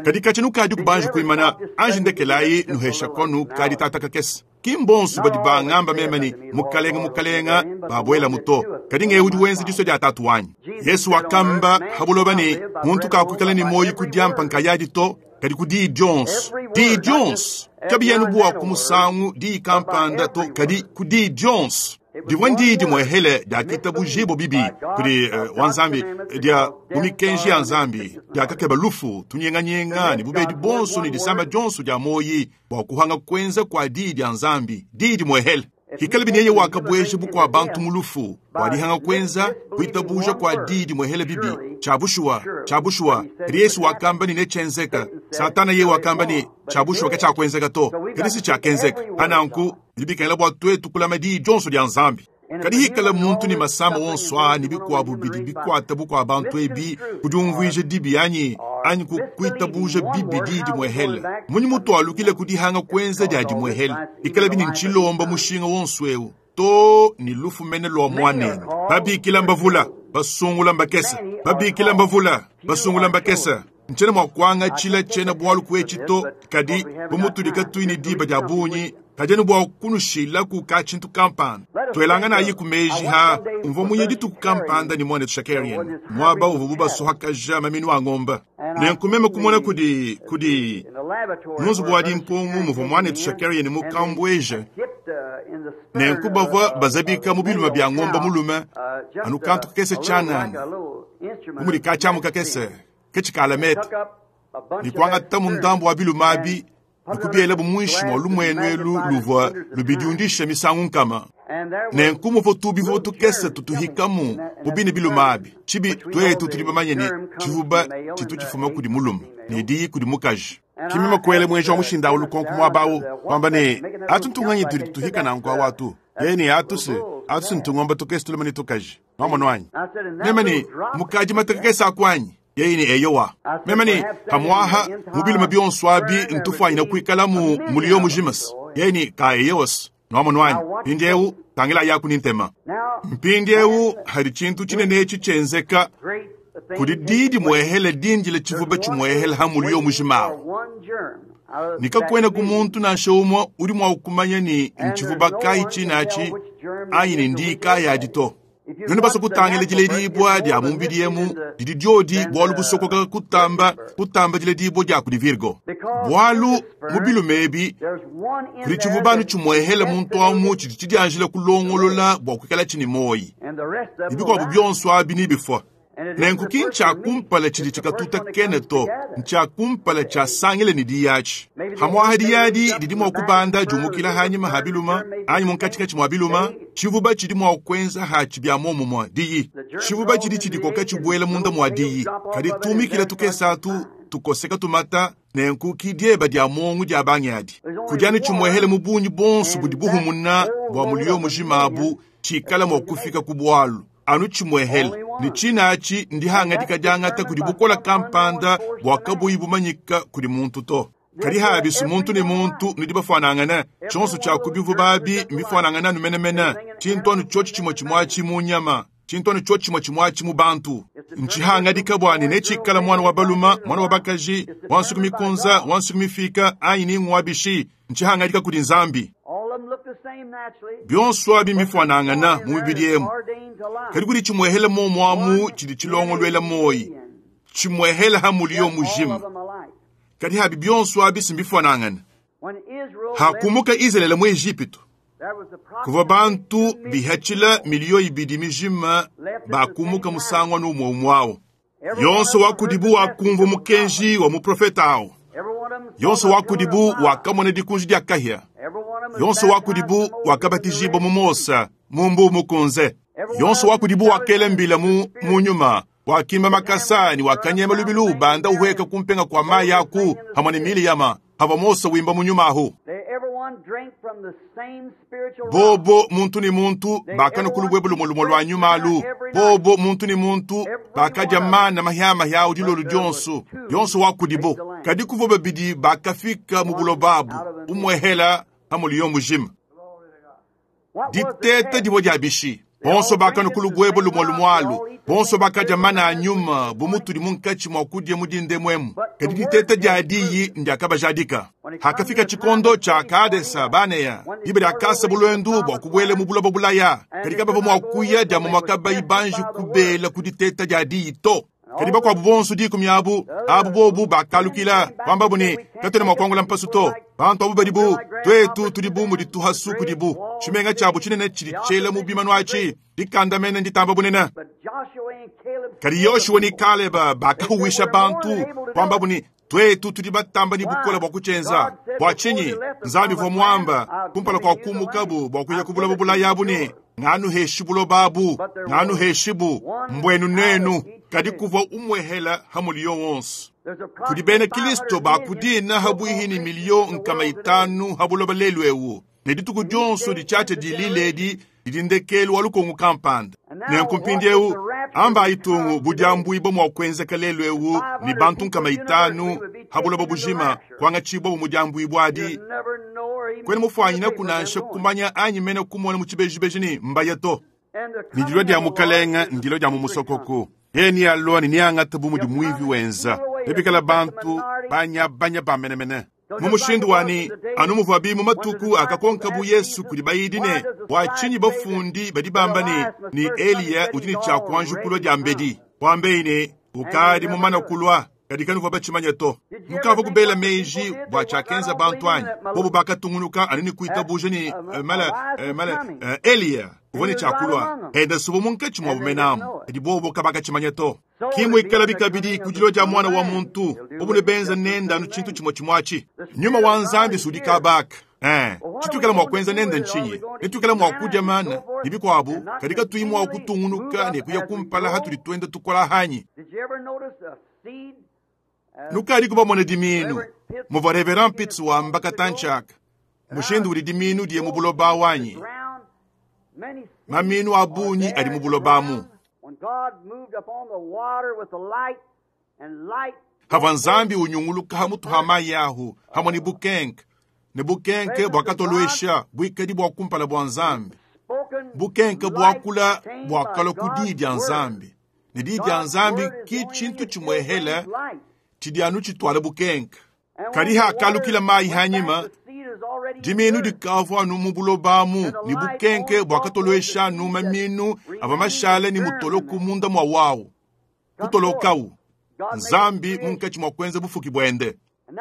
Kadi katshi nukadi kubanja kuimana anji ndekelayi nuhesha konu kadi tata kakese. Ki mbonso badi bangamba meme ne mukalenga mukalenga babuela muto. Kadi ngewe udi wenza disua dia tatu wanyi. Yesu wakamba habuloba ne muntu kakuikala ne moyo kudiampa nkayadi to, kadi ku diyi dionso. Diyi dionso. Kabiyanu bua ku musangu diyi kampanda to, kadi ku diyi dionso. Divua ndiyi dimuehele dia kitabujibo bibi kudi wa Nzambi dia mu mikenji ya Nzambi diakakeba lufu tunyenganyenga ne bubedi bonso ne disamba dionso dia moyi bua kuhanga kuenza kwa diyi dia Nzambi diyi dimuehele. Hikale bineye wakabueja bukua bantu mu lufu bua dihanga kuenza kuitabuja kwa diyi dimuehele bibi tshia bushuwa tshia bushuwa. Kadi Yesu wakamba ne netshenzeka. Satana ye wakamba ne tshia bushuwa ke tshiakuenzeka to, kadi si tshiakenzeka. Pananku bidi bikengela bua twetu kulama diyi dionso dia Nzambi. Kadi hikala muntu ne masama wonso aa ne bikuabu bidi bikuata bukua bantu ebi kudiumvuija dibi anyi anyi kuitabuja bibi diyi dimuehele. Munyi mutualukile kudihanga kuenza dia dimuehele. Ikala bini ntshilomba mushinga wonso eu to ne lufu mene lua muanende. Babikila mbavula basungula mbakesa, babikila mbavula basungula mbakesa. Ntshiena mua kuangatshila tshiena bualu kuetshi to, kadi bu mutudi katuyi ne diba dia bungi, kadi anu bua kunushilaku ka tshintu kampanda. Tuelanganayi ku meji ha mvua muye dituku kampanda ne muanetu Shakarian muaba uvuabu basohakaja maminu a ngomba. Nenku meme kumona kudi kudi mu nzubu wa dimpungu muvua muanetu Shakarian mukambueje. Nenku bavua bazabika mu biluma bia ngomba mulume anu kantu kakese tshianana bu mudi katshiamu kakese ketshikala meta ne kuangata mu ndambu wa biluma abi nikubiela bu muinshi mua lumuenu elu luvua lubidiundisha misangu nkama. Nenku muvua tubivua tukese tutuhikamu mu bine biluma abi. Tshibi twetu tudi bamanye ne tshivuba tshitu tshifuma kudi mulume ne diyi kudi mukaji. Kimima kuele mwenji wa mushinda awu lukonko muaba awu kwamba ne atu ntunganyi tudi tuhika nanku awu atu yeye ne atu se atu se ntungomba tukese tulume ne tukaji mwamono anyi. Meme ne mukaji mataka kese akuanyi. Yeye ne eyowa. Meme ne hamuaha mu biluma bionso abi ntufuanyina kuikala mu mulio mujimas. Yeye ne ka eyos. Mwamono anyi. Mpindiewu tangila yaku ni ntema. Mpindiewu hadi tshintu tshinene etshi tshienzeka. Kudi diyi dimuehele dindile tshivuba tshimuehele ha muliyo mujima awu. Ne kakuenaku muntu nansha umue udi mua kumanya ne ntshivuba kayi tshinatshi anyi ne ndiyi kayi adi to. Nuenu basue kutangila diledibua dia mu mubidi emu, didi diodi bualu busokoka kutamba kutamba diledibua dia kudi Virgo. Bualu mu bilume ebi kudi tshivuba anu tshimuehele muntu amu tshidi tshidianjila kulongolola bua kuikalatshi ne muoyi, ne bikuabu bionso abi nebifua. Nenku ki ntshia kumpala tshidi tshikatuta kene to, ntshia kumpala tshiasangile ne diyi atshi. Pamu'apa diyi adi didi mua kubanda diumukila hanyima ha biluma anyi munkatshikatshi mua biluma, tshivuba tshidi mua kuenza hatshi bia muomumue diyi. Tshivuba tshidi tshidikoka tshibuela munda mua diyi, kadi tumikila tukese atu tukoseka tumata, nenku ki dieba dia muongo dia bangi adi. Kudi anu tshimuehele mu bungi buonso budi buhumuna bua muliyo mujima abu tshikala mua kufika ku bualu anu tshimuehele, ne tshinatshi ndihangadika diangata kudi bukola kampanda bua kabuyi bumanyika kudi muntu to. Kadi habisu muntu ne muntu nudi bafuanangane, tshionso tshia ku bivuba abi mbifuanangane anu menemene, tshintu anu tshiotshi tshimue tshimue atshi mu nyama, tshintu anu tshiotshi tshimue tshimue atshi mu bantu. Ntshihangadika bua ne netshikala muana wa balume, muana wa bakaji, wa nsuku mikunza, wa nsuku mifika, anyi ni ngua bishi, ntshihangadika kudi Nzambi. Bionso abi mbifuanangana mu mibidi emu, kadi kudi tshimuehele muomu amu tshidi tshilongoluela muoyi, tshimuehele ha muliyo mujima. Kadi habi bionso abi si mbifuanangana. Hakumuka Izalele mu Ejipitu, kuvua bantu bihatshila miliyo ibidi mijima bakumuka musangu anu umue umue awu. Yonso wa kudibu wakumvua mukenji wa muprofete awu. Yonso wa kudibu wakamona dikunji dia kahia. Yonso wa kudibu wakabatijibua mu Mose mu Mbuu Mukunze. Yonso wa kudibu wakela mbila mu mu nyuma, wakimba makasa ne wakanyema lubilu ubanda uhueka kumpenga kua mayi aku hamue ne Miliyama havua Mose wimba mu nyuma ahu. Bobo muntu ne muntu bakanua ku lubuebue lumue lumue lua nyuma alu. Bobo muntu ne muntu bakadia mana mahiamahia au dilolo dionso, yonso wa kudibo. Kadi kuvua babidi bakafika mu buloba abu, umuehela ha muliyo mujima. Diteta divua dia bishi. Bonso bakanua ku lubuebue lumue lumue alu. Bonso bakadia mana a nyuma bu mutudi munkatshi mua kudia mu dindemu emu. Kadi diteta dia diyi ndiakabajadika. Hakafika tshikondo tshia Kadesa Banea, diba diakasa buluendu bua kubuela mu buloba bulaya, kadi kabavua mua kuya dia mumue kabayi banji kubela ku diteta dia diyi to. Kadi bakuabu bonso dikumi abu, abu bobu bakalukila, kuambabu ne, Katuena mua kuangula mpasu to. Bantu abu badi bu tuetu, tudi bu mudi tuhasu kudibu. Tshimenga tshiabu tshinene tshidi tshiela mu bimanu atshi, dikandamena nditamba bunene. Kadi Yoshua ne Kaleba bakahuwisha bantu, kuambabu ne, Tuetu tudi batamba ne bukole bua kutshienza. Bua tshinyi? Nzambi uvua muamba kumpala kua kumukabu bua kuya ku buloba bulaya abu ne, Nganuheshi buloba abu, nganuheshibu, mbuenu nenu. Kadi kuvua umuehela ha muliyo wonso. Kudi bena Kristo ba ku dina ha buihi ne miliyo nkama itanu ha buloba lelu eu, ne dituku dionso ditshiatshia dilila edi didi ndekelu wa lukongo kampanda. Nenku mpindieu ambayi tungu budiambuibua mua kuenzeka lelu eu ne bantu nkama itanu ha buloba bujima kuangatshibua bu mudiambuibua adi. Kuena mufuanyinaku nansha kumanya anyi mene kumona mu tshibejibeji ne mbaya to. Ne dilua dia Mukalenge ndilua dia mu musokoko. Yeye nealua ne neangate bu mudi muivi wenza. Nebikale bantu banyabanya ba menemene. Mu mushindu wa ne, anu muvuabi mu matuku akakonkabu Yesu kudi bayidi ne, Bua tshinyi bafundi badi bamba ne, ne Eliya udi ne tshia kuanji kulua diambedi? Kuambeyi ne, Ukadi mumane kulua, kadi kanuvua batshimanye to. Nukavua kubela meji bua tshiakenza bantu anyi? Bobu bakatungunuka anu ne kuitabuja ne, mala, mala, Eliya uvua ne tshia kulua. Enda subu munkatshi muabu menamu, kadi bobu kabakatshimanya to. Ki muikalabi kabidi ku dilua dia Muana wa muntu, bobu nebenza nende anu tshintu tshimue tshimue atshi. Nyuma wa Nzambi si udi kabaka. Eh, tshituikala mua kuenza nende ntshinyi? Netuikale mua kudia mana ne bikuabu, kadi katuyi mua kutungunuka ne kuya kumpala hatudi tuenda tukola anyi? Nukadiku bamone dimiinu, muvua Reverend Pitts wamba katantshi aka, mushindu udi dimiinu diye mu buloba awu anyi? Mamiinu a bungi adi mu buloba amu. Havua Nzambi unyunguluka ha mutu ha mayi ahu hamue ne bukenke, ne bukenke buakatoluesha buikadi bua kumpala bua Nzambi. Bukenke buakula buakalua ku diyi dia Nzambi. Ne diyi dia Nzambi ki tshintu tshimuehela tshidi anu tshituala bukenka. Kadi hakalukila mayi hanyima, diminu dikavua anu mu buloba amu, ne bukenke buakatoluesha anu maminu avua mashale ne mutoloku munda mua wawu. Kutolokawu. Nzambi munkatshi mua kuenza bufuki buende.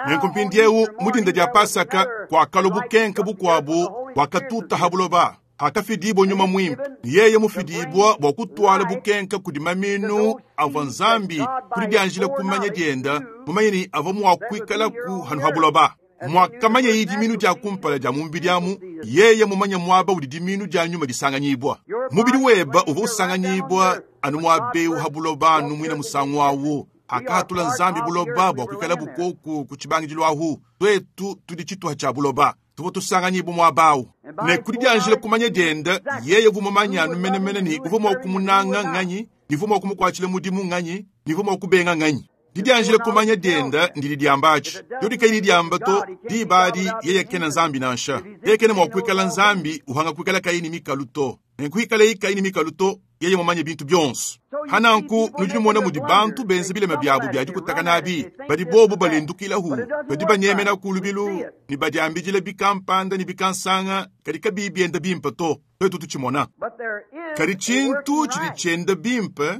Nenku mpindieu mu dinda dia Pasaka kuakalua bukenke bukuabu buakatuta ha buloba. Hakafidibua Nyuma Muimpe, ne yeye mufidibua bua kutuala bukenke kudi maminu avua Nzambi kudianjila kumanya dienda, mumanye ne avua mua kuikalaku hanu ha buloba. Muakamanya diminu dia kumpala dia mu mubidi amu, yeye mumanye muaba udi diminu dia nyuma disanganyibua. Mubidi weba uvua usanganyibua anu muaba eu ha buloba anu muina musangu awu. Hakahatula Nzambi buloba bua kuikala bukoku ku tshibangidilu ahu, tuetu tudi tshituha tshia buloba. Tuvua tusanganyibua muaba awu. Ne kudianjila kumanya dienda, yeye uvua mumanye anu menemene ne uvua mua kumunanga nganyi, ne uvua mua kumukuatshila mudimu nganyi, ne uvua mua kubenga nganyi. Didianjila kumanya dienda ndidi diamba atshi. Diodi kayi didiamba to, diba adi yeye kena Nzambi nansha. Yeye kena mua kuikala Nzambi uhanga kuikala kayi ne mikalu to. Nenku hikaleye kayi ne mikalu to, yeye mumanye bintu bionso. Hananku nudi numona mudi bantu benza bilema biabu bia dikutaka nabi, badi bobu balendukilahu, badi banyemena ku lubilu ne badiambidila bikampanda ne bikansanga, kadi kabiyi bienda bimpe to. Tuetu tutshimona. Kadi tshintu tshidi tshienda bimpe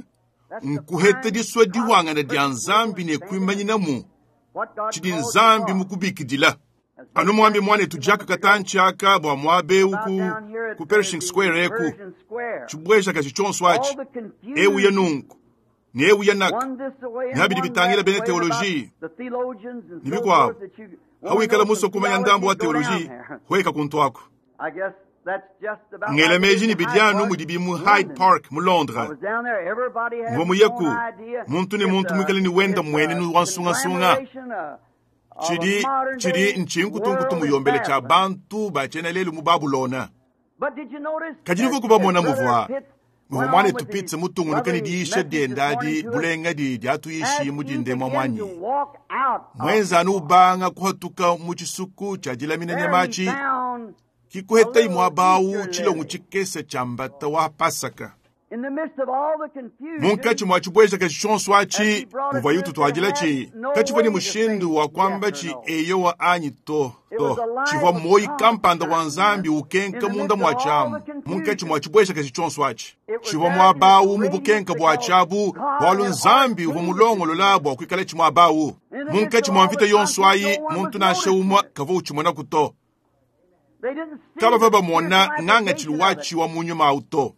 nkuheta disua diwangana dia Nzambi ne kuimanyinamu tshidi Nzambi mukubikidila. Anu muambi muanetu Jack katantshi aka bua muaba eu ku, ku Pershing Square eku, tshibuejakaji tshionso atshi, eu ya nunku ne eu ya naka, ne habidi bitangila bena teoloji ne bikuabu. Hawikala musue kumanya ndambu wa teoloji, hueka kuntu aku. Ngela meji ne bidi anu mudibi mu Hyde Park mu Londres. Mvua muyeku, muntu ne muntu muikale ne wenda mmuenenu wa nsungasunga. Tshidi, tshidi ntshinkutunkutu muyombele tshia bantu ba tshiena lelu mu Babulona. Kadi nuvua kubamona muvua muvua muanetu Pitts mutungunuke ne diyisha dienda adi bulenga di diatuyishi mu dindemua muanyi. Muenza anu ubanga kuhatuka mu tshisuku tshia dilamina nyama atshi, kikuhetayi muaba awu tshilongo tshikese tshia mbata wa Pasaka. Munkatshi mua tshibuejakaji tshionso atshi muvua yututuadila tshi katshivua ne mushindu wa kuamba tshi eyowa anyi to to. Tshivua muoyi kampanda wa Nzambi ukenka munda mua tshiamu. Munkatshi mua tshibuejakaji tshionso atshi tshivua muaba awu mu bukenka bua tshiabu, bualu Nzambi uvua mulongolola bua kuikala tshi muaba awu. Munkatshi mua mvita yonso ayi, muntu nansha umue kavua utshimonaku to. Kabavua bamona ngangatshilu watshi wa mu nyuma awu to.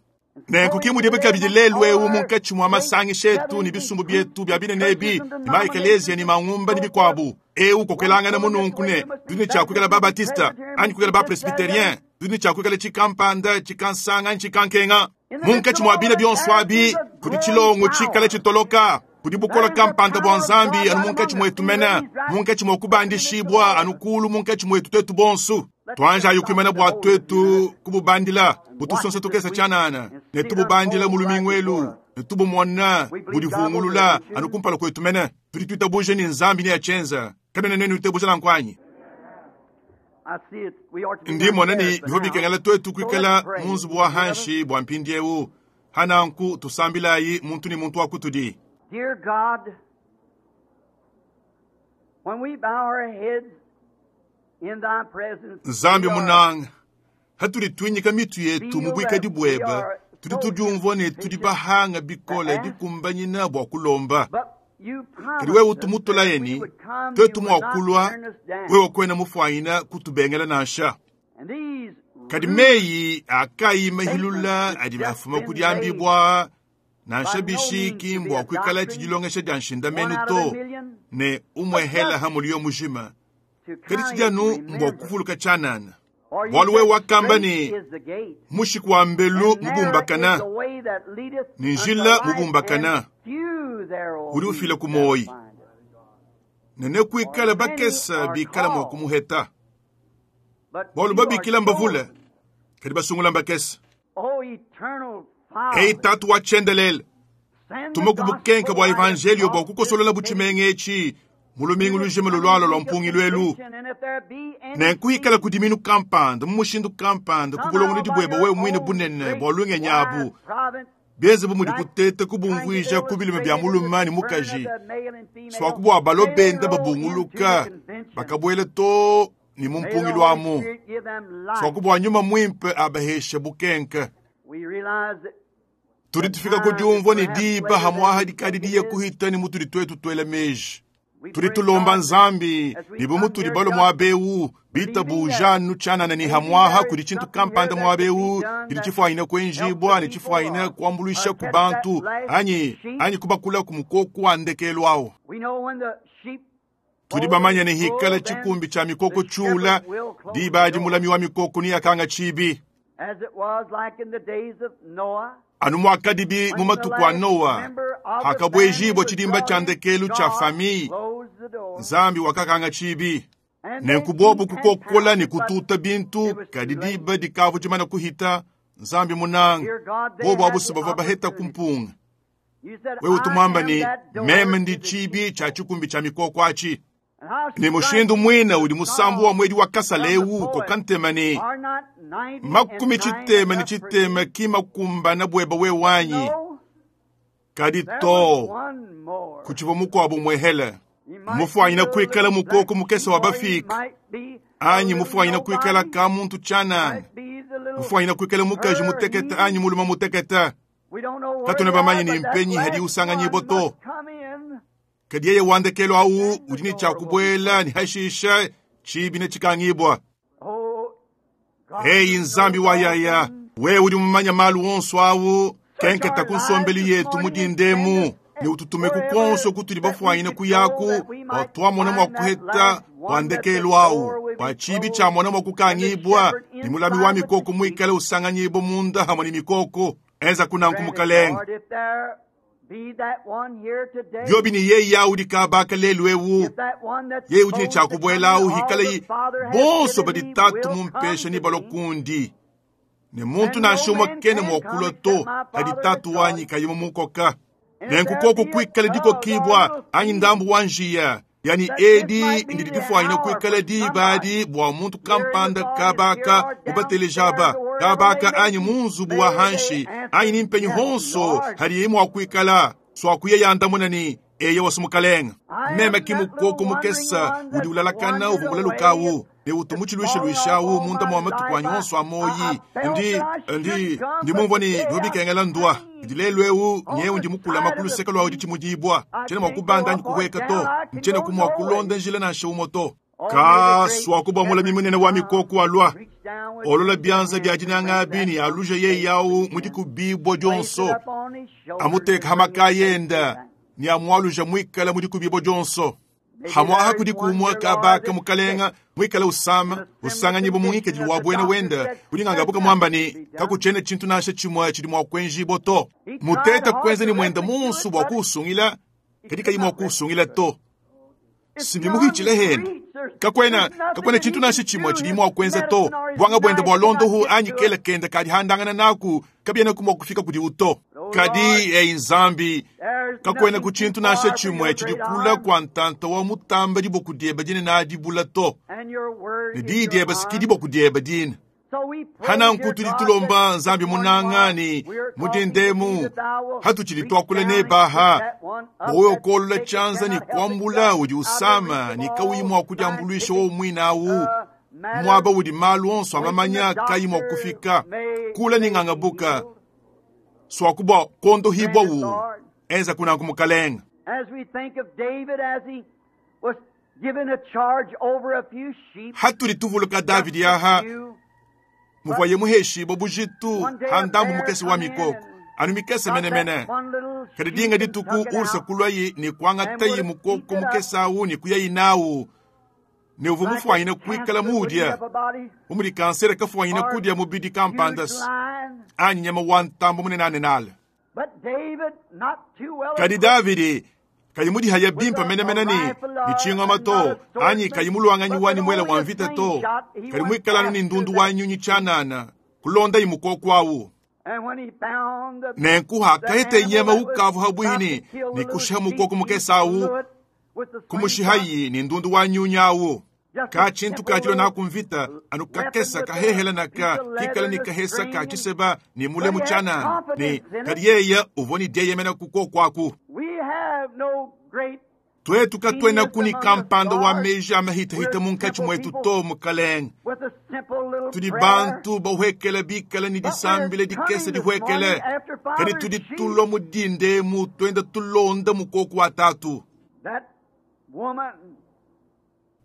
Nenku ki mudibi kabidi lelu eu munkatshi mua masangisha etu ne bisumbu bietu bia binene ebi, ne maekeleziya ne mangumba ne bikuabu. Eu kokelangana mununku ne tudi ne tshia kuikala ba-Batista anyi kuikala ba-Presbyterien, tudi ne tshia kuikala tshikampanda, tshikansanga anyi tshikankenga. Munkatshi mua bina bionso abi kudi tshilongo tshikale tshitoloka, kudi bukola kampanda bua Nzambi anu munkatshi muetu mene, munkatshi mua kubandishibua anu kulu munkatshi muetu tuetu bonso. Tuanjayi kuimana bua tuetu kububandila butusonsa tukesa tshianana, ne tububandila mu lumingu elu, ne tubumona budivungulula anu kumpala kuetu mene. Tudi tuitabuja ne Nzambi neatshienza. Kabena nenu itabuja nanku anyi? Ndi mona ne bivua bikengela tuetu kuikala mu nzubu wa hanshi bua mpindieu. Hananku tusambilayi muntu ne muntu wa kutudi. Dear God, when we bow our heads in thy presence, Nzambi munanga, hatudi tuinyika mitu yetu mu buikadi bueba, tudi tudiumvua ne tudi bahanga bikole dikumbanyina bua kulomba. But you Kadi wewe promised us utumutulaye that we ni would come, tuetu you mua would not kulua, turn us down. wewe kuena mufuanyina kutubengela nansha. And these Kadi rude meyi akayi mahilula adi afuma ku diambibua nansha bishiki mbua kuikala tshidilongesha dia nshindamenu one out of a to million ne umwehela ha mulio mujima. to Kadi kindly tshidi anu mbua remember. kuvuluka tshianana. For you Bualu wewe said, wakamba "Straight ne is the gate, mushiku wa mbelu and narrow mubumbakana is the way that leadeth ne unto njila life, mubumbakana and few there will udi be ufila ku that moyi. find it." Ne nekuikala For many bakesa are bikala mua called, kumuheta. but Bualu few are babikila mbavule, chosen. kadi basungula mbakesa. O eternal Ei Father, tatu wa tshiendelele, send the tuma ku bukenka gospel bua light evangelio bua across kukosolola this city butshimenga etshi mu lumingu to this lujima lulualua coming lua week of mpungilu elu. conviction, and if there be any Nenkuikala seed ku diminu kampanda mu mushindu kampanda ku somehow bulongolodi by bueba your wewe muine own bunene great bua lungenyi abu wise providence Bienze bu mudi kuteta kubumvuija ku bilume bia mulume ne mukaji, swaku bua balo benda babunguluka, bakabuela too ne mu mpungilu amu. Swaku bua nyuma muimpe abahesha bukenke. Tudi tufika ku diumvua ne diba hamwaha dikadi diye kuhita ne mutudi tuetu tuela meji. Tudi tulomba Nzambi ne bu mutudi balo muaba eu bitabuja nu tshianana ne hamwaha kudi tshintu kampanda muaba eu tshidi tshifuanyine kuenjibua ne tshifuanyine kuambuluisha ku bantu anyi anyi kubakula ku mukoko wa ndekelu awu. Tudi bamanye ne hikala tshikumbi tshia mikoko tshiula, diba adi mulami wa mikoko ne akanga tshibi. Anu muakadibi mu matuku a Noa, hakabuejibua tshidimba tshia ndekelu tshia famille, Nzambi wakakanga tshibi. Nenku bobu kukokola ne kututa bintu, kadi diba dikavu dimana kuhita, Nzambi munanga, bobu abusu bavua baheta kumpunga. Wewe utu ne meme ndi tshibi tshia tshikumbi tshia mikoko atshi. Ne mushindu mwina udi musambu wa mwedi wa kasala eu koka ntema ne makumi tshitema ne tshitema ki makumbana bueba we wanyi. Kadi to kutshivua mukuabu muehele. Mufuanyina kuikala mukoko mukese wa bafika anyi mufuanyina kuikala ka muntu tshianana, mufuanyina kuikala mukaji mutekete anyi mulume mutekete. Katuna bamanye ne mpenyi hadi usanganyibwa to. Kadi yeye wa ndekelu awu udi ne tshia kubuela ne hashisha tshibi ne tshikangibwa. Eyi Nzambi wa yaya, wewe udi mumanya malu onso awu, kenketa ku nsombelu yetu mu dindemu ne ututume ku konso kutudi bafuanyine kuyaku bua tuamona mua kuheta wa ndekelu awu, bua tshibi tshiamona mua kukangibwa ne mulami wa mikoko muikale usanganyibwa munda hamwe ne mikoko. Enza kunanku mukalenga. Biobi ne yeye awu dikabaka lelu eu, yeye udi ne tshia kubuela awu hikala yi bonso badi tatu mumpesha ne balua kundi. Ne muntu nansha umue kena mua kulua to hadi tatu wanyi kayi mumukoka. Nenku koko kuikala dikokibwa anyi ndambu wa njiya, yani edi ndidi difuanyine kuikala diba adi bua muntu kampanda kabaka mubateleja kabaka anyi mu nzubu wa hanshi anyi ni mpenyi honso hadiye mua kuikala swakuye yandamuna ni eye wasu mukalenga. Meme ki mukoko mukesa udi ulalakana uvumula lukawu ne utu mutshiluishaluishawu munda mua matuku anyi onso a moyi. Ndi ndi ndi mumvua ne bikengela ndwa ndi lelu eu nyewu ndi mukulama ku luseke lwawu ditshimudibwa tshiena mua kubanda anyi kuhueka to, ntshiena ku mua kulonda njila nansha umue to. Ka swaku bua mulami munene wa mikoko alua olola bianza bia dinanga abi ne aluja yeye yawu mu dikubibua dionso, amuteka hamaka yenda ne amualuja muikala mu dikubibua dionso. Hamwaha kudi kumwa kabaka mukalenga muikala usama usanganyibwa mu ngikadilu wa buena wenda udi ngangabuka mwamba ne kakutshiena tshintu nansha tshimue tshidi mua kuenjibua to. Muteta kuenza ne mwenda monso bua kuusungila, kadi kayi mua kuusungila to. Sibimuhitshila hene kakwena kakwena tshintu nansha tshimue tshidi mua kuenza to. Bwanga buenda bua londohu anyi kela kenda kadi handangana naku kabiena ku mua kufika kudi uto. Kadi ei Nzambi kakwena ku tshintu nansha tshimue tshidi kula kua ntanta wa mutamba diboku dieba dine na dibula to. Ne diyi dieba siki diboku dieba dine. Hananku tudi tulomba Nzambi munanga ni mudindemu hatutshidi tuakula ne baha bua okolola tshianza ni kuambula udi usama ni kauyi mua kudiambuluisha wo muina awu muaba udi malu onso amamanya kayi mua kufika kula ni ngangabuka swaku bua kondohibwa wu enza kunanku mukalenga. As we think of David as he was given a charge over a few sheep, Hatudi tuvuluka Davidi aha muvuaye muheshibwa bujitu handambu mukese wa mikoko anu mikese menemene. Kadi dinga dituku ursa kulwayi ni kuangatayi mukoko mukese awu ni kuyayi nawu ne uvu mufuanyine kuikala muudya umudi kansere kafuanyine kudya mubidi kampanda anyi nyama wa ntambo munenanenala. Kadi Davidi kayi mudihaya bimpa menemene ni tshingoma to anyi kayi muluanganyi wani mwela wa mvita to, kadi muikalanu ni ndundu wa nyunyi tshianana kulondayi mukoko awu. Nenku hakahete nyama ukavu habwini ni kushiha mukoko mukese awu kumushihayi ni ndundu wa nyunyi awu. Ka tshintu ka dilua naku mvita, anu kakesa kahehela naka kikala ne kahesa ka tshiseba ne mule mu tshianana, ne kadi yeya uvua ne dieyemena ku kuoku aku. Tuetu katuenaku ne kampanda wa meji a mahitahita munkatshi muetu to, Mukalenge. Tudi bantu bahuekele bikale ne disambila dikese dihuekele, kadi tudi tulua mu dinda emu tuenda tulonda mukoko wa tatu.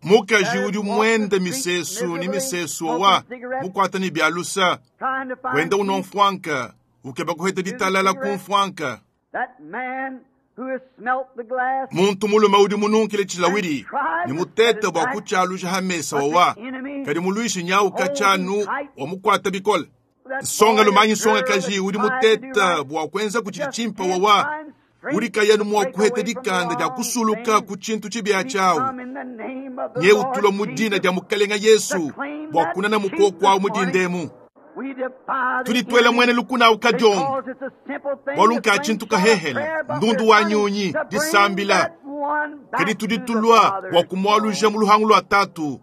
Mukaji udi muende misesu ne misesu wa mukuata ne bia lusa, wenda unua mfuanka, ukeba kuheta ditalala ku mfuanka. Muntu mulume udi mununkile tshilawidi ne mutete bua kutshialuja ha mesa wawa, kadi muluishi nyau katshianu wamukuata bikole. Nsonga lumanyi nsongakaji udi mutete bua kuenza kutshidi tshimpe wawa, udi kayanu mua kuheta dikanda dia kusuluka ku tshintu tshibia tshiawu. Nye utulwa mu dina dia Mukalenga Yesu bua kunana mukoko awu mu dindemu. Tudi tuela mwene lukuna awu kadiongo, bualu nka tshintu kahehela ndundu wa nyunyi disambila, kadi tudi tulua bua kumualuja mu luhangu lua tatu,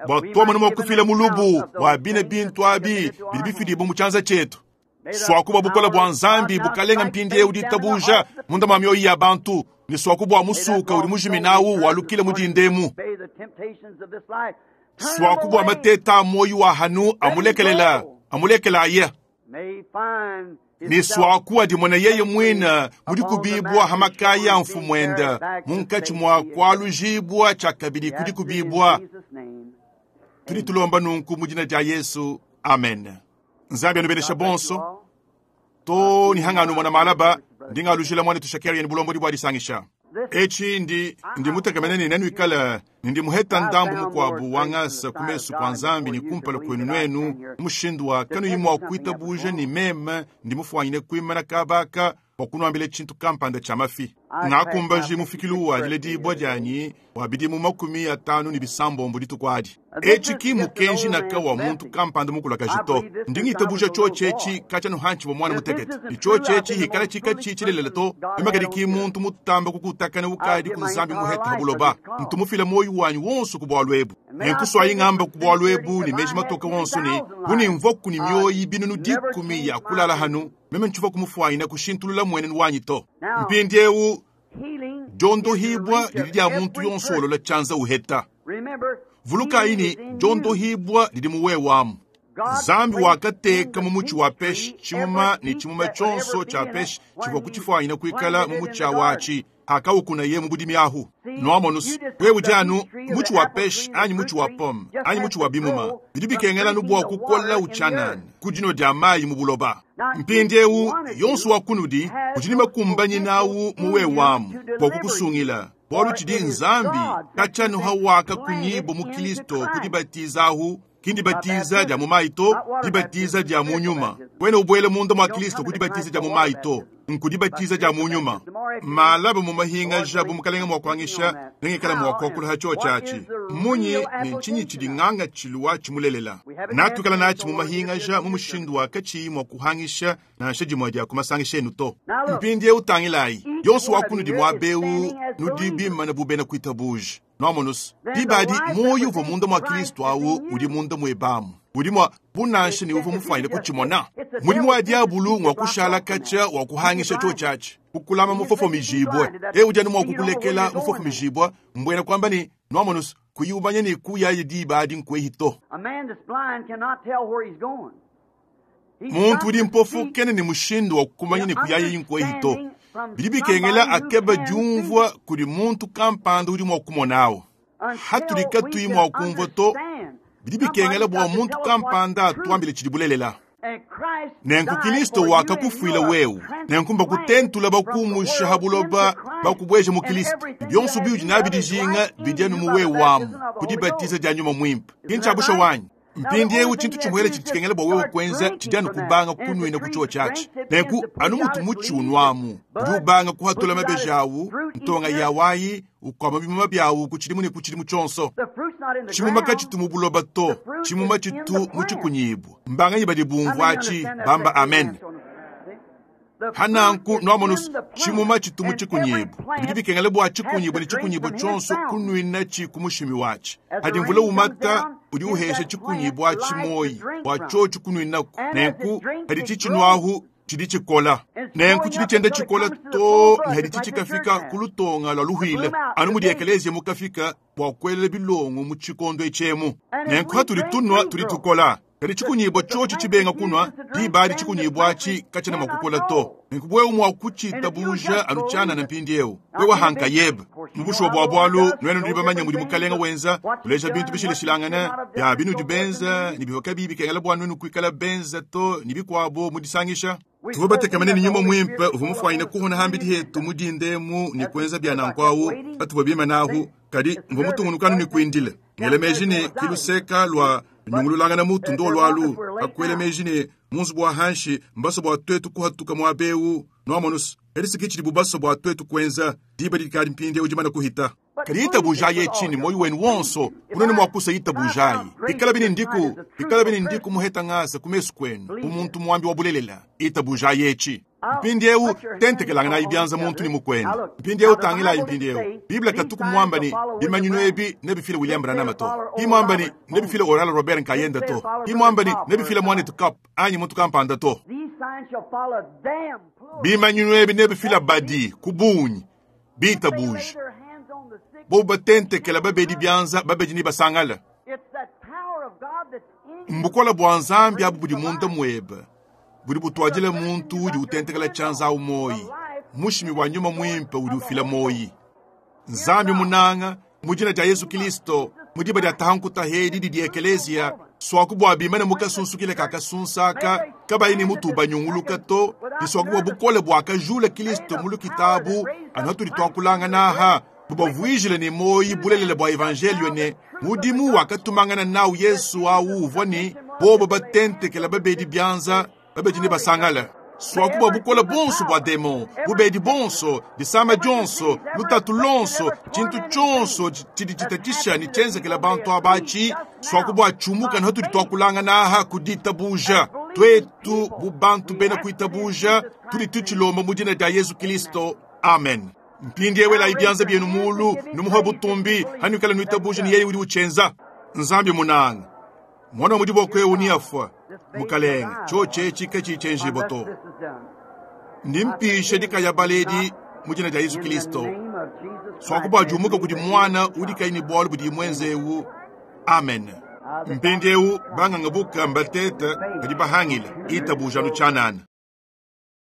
bua tuamona mua kufila mulubu wa bine bintu abi bidi bifidibua mu tshianza tshietu. Suaku bua bukole bua Nzambi bukalenga mpindieu ditabuja munda mua mioyo ya bantu, ne suaku bua musuka udi mujiminawu walukile mu dindemu. Suaku bua mateta a muoyo wa hanu amulekelela amulekelaye, ne suaku adimona yeye muine mudi kubibua ha makaya a mfumuende munkatshi mua kualujibua tshiakabidi kudi kubibua. Tudi tulomba nunku mu dina dia Yesu, amen. Nzambi anubenesha bonso to ni hanganu mona malaba ndingalujila mwana tushakeri ni bulombodi bua disangisha. Etshi ndi ndi mutekemene ne nenuikale ne ndi muheta ndambu mukuabu wa ngasa ku mesu kua Nzambi ne kumpala kuenu nuenu mushindu wa kanuyi mua kuitabuja ne meme ndi mufuanyine kuimana kabaka bua kunuambila tshintu kampanda tshia mafi. Ngakumbaji mufikilu wa diledibua dianyi wa bidimu 56 dituku adi. Etshi ki mukenji naka wa muntu kampanda mukulakaji to. Ndi ngitabuja tshiotshi etshi katshia nuhantshi bua mwana mutekete. Ne tshiotshi etshi hikala tshikatshi tshilelela to. Memakadi ki muntu mutamba kukutakana ukadi ku Nzambi muheta ha buloba. Ntumufila moyo wanyi wonso ku bualu ebu. Nenkuswayi ngamba ku bualu ebu ne meji matoke wonso ne bu nimvoku ne mioyi binunu 10 ya kulala hanu. Meme ntshivua kumufuanyina kushintulula muenenu wanyi to. Mpindieu diondohibua didi dia muntu yonso olola tshianza uheta. Vulukayi ne diondohibua didi mu wewamu. Nzambi wakateka mu mutshi wa peshi tshimuma ne tshimuma tshionso tshia peshi tshivua kutshifuanyina kuikala mu mutshi awatshi akawukunaye mu budimi ahu. Nuamonus, wewe udi anu mutshi wa peshi anyi mutshi wa pomme anyi mutshi wa bimuma bidi bikengela bua kukola utshianana ku dino dia mayi mu buloba. Mpindieu yonso wa kunudi udi ne makumbanyi nawu mu wewamu bua kukusungila, bualu tshidi Nzambi katshianuha waka kunyibo mu Kristo kudibatizahu. Ki ndibatiza dia mu mayi to, dibatiza dia mu nyuma. Wena ubuele munda mua Kristo kudibatiza dia mu mayi to, nkudibatiza dia mu nyuma. Malaba mu mahingaja bu mukalenga mua kuangisha nengikala mua kuakula tshiotshi tshiatshi. Munyi ne ntshinyi tshidi nganga tshiluwa tshimulelela. Natukala natshi mu mahingaja mu mushindu wa katshiyi mua kuhangisha nansha dimue dia ku masangisha enu to. Mpindieu tangilayi, yonso wa kunudi muabeu nudi bimana bu bena kuitabuja. Nuamonus, dibadi moyo uvua munda mua Kristo awu udi munda muebamu. Udi mua bunansha ne uvua mufuanyine kutshimona. Mudimu wa diabulu ngwa kushala katshia wa kuhangisha tshiotshi atshi, kukulama mufofo mijibue. E udi anu mua kukulekela mufofo mijibue, mbwena kuamba ne nuamonus kuyubanya ne kuyaye dibadi nkwehi to. Muntu udi mpofu kene ne mushindu wa kukumanya ne kuyaye nkwehi to. Bidi bikengela akeba diumvua kudi muntu kampanda udi mua kumonawo. Hatudi katuyi mua kumvua to, bidi bikengela bua muntu kampanda atuambile tshidi bulelela. Nenku Kristo wakakufuila wewe, nenku mbakutentula bakumusha ha buloba bakubueja mu Kristo. Bionso biudi nabi dijinga bidi anu mu wewe wamu kudibatiza dia nyuma muimpe. Kintshabusha wanyi. Mpindieu tshintu tshimuele tshidi tshikengela bua wewe kuenza tshidi anu kubanga kunuina ku tshiotshi atshi. Nenku anu mutu mutshi unuamu udi ubanga kuhatula mabeji awu, ntonga yawayi ukwama bimuma byawu ku tshidimu ne ku tshidimu tshionso. Tshimuma katshitu mu buloba to, tshimuma tshitu mu tshikunyibua. Mbanganyi badi bumvua atshi bamba amen. Hananku nwamonusu tshimuma tshitumu tshikunyibu. Bidi bikengela bua tshikunyibu ne tshikunyibu tshionso kunwina tshi ku mushimi watshi. Hadi mvula umata udi uhesha tshikunyibu atshi moyi bua tshiotshi kunwinaku. Nenku hadi tshitshinwahu tshidi tshikola. Nenku tshidi tshienda tshikola to ne hadi tshitshikafika ku lutonga lua luhwile. Anu mudi ekelezia mukafika bua kuelela bilongo mu tshikondo etshemu. Nenku hatudi tunwa tudi tukola. Kadi tshikunyibwa tshiotshi tshibenga kunwa, diba tshikunyibwa atshi katshiena mua kukola to. Nenku wewe mua kutshitabuja anu tshianana mpindiewu. Wewe hanka yebe. Mu bushuwa bua bualu, nuenu nudi bamanye mudi mukalenga wenza, kuleja bintu bishilashilangana, bia binudi benza, ne bivua kabiyi bikengela bua nuenu kuikala benza to, ne bikuabo mu disangisha. Tuvua batekemene ne nyuma muimpe uvua mufuanyine kuhona hambidi hetu mu dindemu ne kuenza bia nanku awu, patuvua bimanahu, kadi mvua mutungunukanu ne kuindila. Ngela meji ne kiluseka lua nyungululangana mutu ndo lwalu, akwela meji ne munzu bua hanshi mbaso bua twetu kuhatuka muabewu nwamonusu. Kadi tshidi bubaso bua twetu kuenza diba dikadi mpindiewu dimana kuhita. Kadi itabujayi etshini moyo wenu wonso kunene mua kusa itabujayi. Ikala bine ndiku, ikala bine ndiku muheta ngasa ku mesu kwenu, bu muntu muambi wa bulelela. Itabujayi etshi. Mpindiewu tentekelangana ibyanza muntu ni mukwenu. Mpindiewu tangila mpindiewu. Biblia katuku mwamba ni bimanyinu ebi nebifile William Branham to. Imwamba ni nebifile Oral Robert Nkayenda to. Imwamba ni nebifile Mwanetu Cup anyi muntu kampanda to. Bimanyinu ebi nebifile badi kubunyi bitabuja. Bobu batentekela babedi byanza babedi ni basangala. Mbukola bua Nzambi abu budi munda mwebe. Budi butwadila muntu udi utentekela tshianza awu moyi. Mushimi wa nyuma mwimpe udi ufila moyi. Nzambi munanga mu dina dia Yesu Kristo mu diba dia tahankuta hedi didi ekelezia swaku bua bimane mukasunsukile kakasunsaka kabayi ne mutu banyunguluka to diswaku bua bukole bua kajula Kristo mu lukitabu anu hatudi twakulangana aha bubavuijile ne moyi bulelela bua evangelio ne mudimu wakatumangana nawu Yesu awu uvua ne bobo batentekela babedi byanza babedi ne basangala. Swaku bua bukole bonso bua demon, bubedi bonso, disama dionso, lutatu lonso, tshintu tshionso tshidi tshitatisha ne tshenzekela bantu abatshi, swaku bua tshumuka ne hatudi twakulangana aha ku ditabuja. Twetu bu bantu bena kuitabuja, tudi tutshilomba mu dina dia Yesu Kristo. Amen. Mpindiewu elayi byanza byenu mulu, numuhe butumbi, hanwikala nuitabuja ne yeye udi uchenza. Nzambi munanga. Mwana mudi bokwe uniafwa mukalenga choche chika chichenjibo to. Ndimpishe dikaya baledi mu dina dia Yesu Kristo. Swaku jumuka kudi mwana udi kayi ne bwalu budi mwenzewu. Amen. Mpindiewu banganga buka mbateta kadi bahangila itabuja nu tshianana.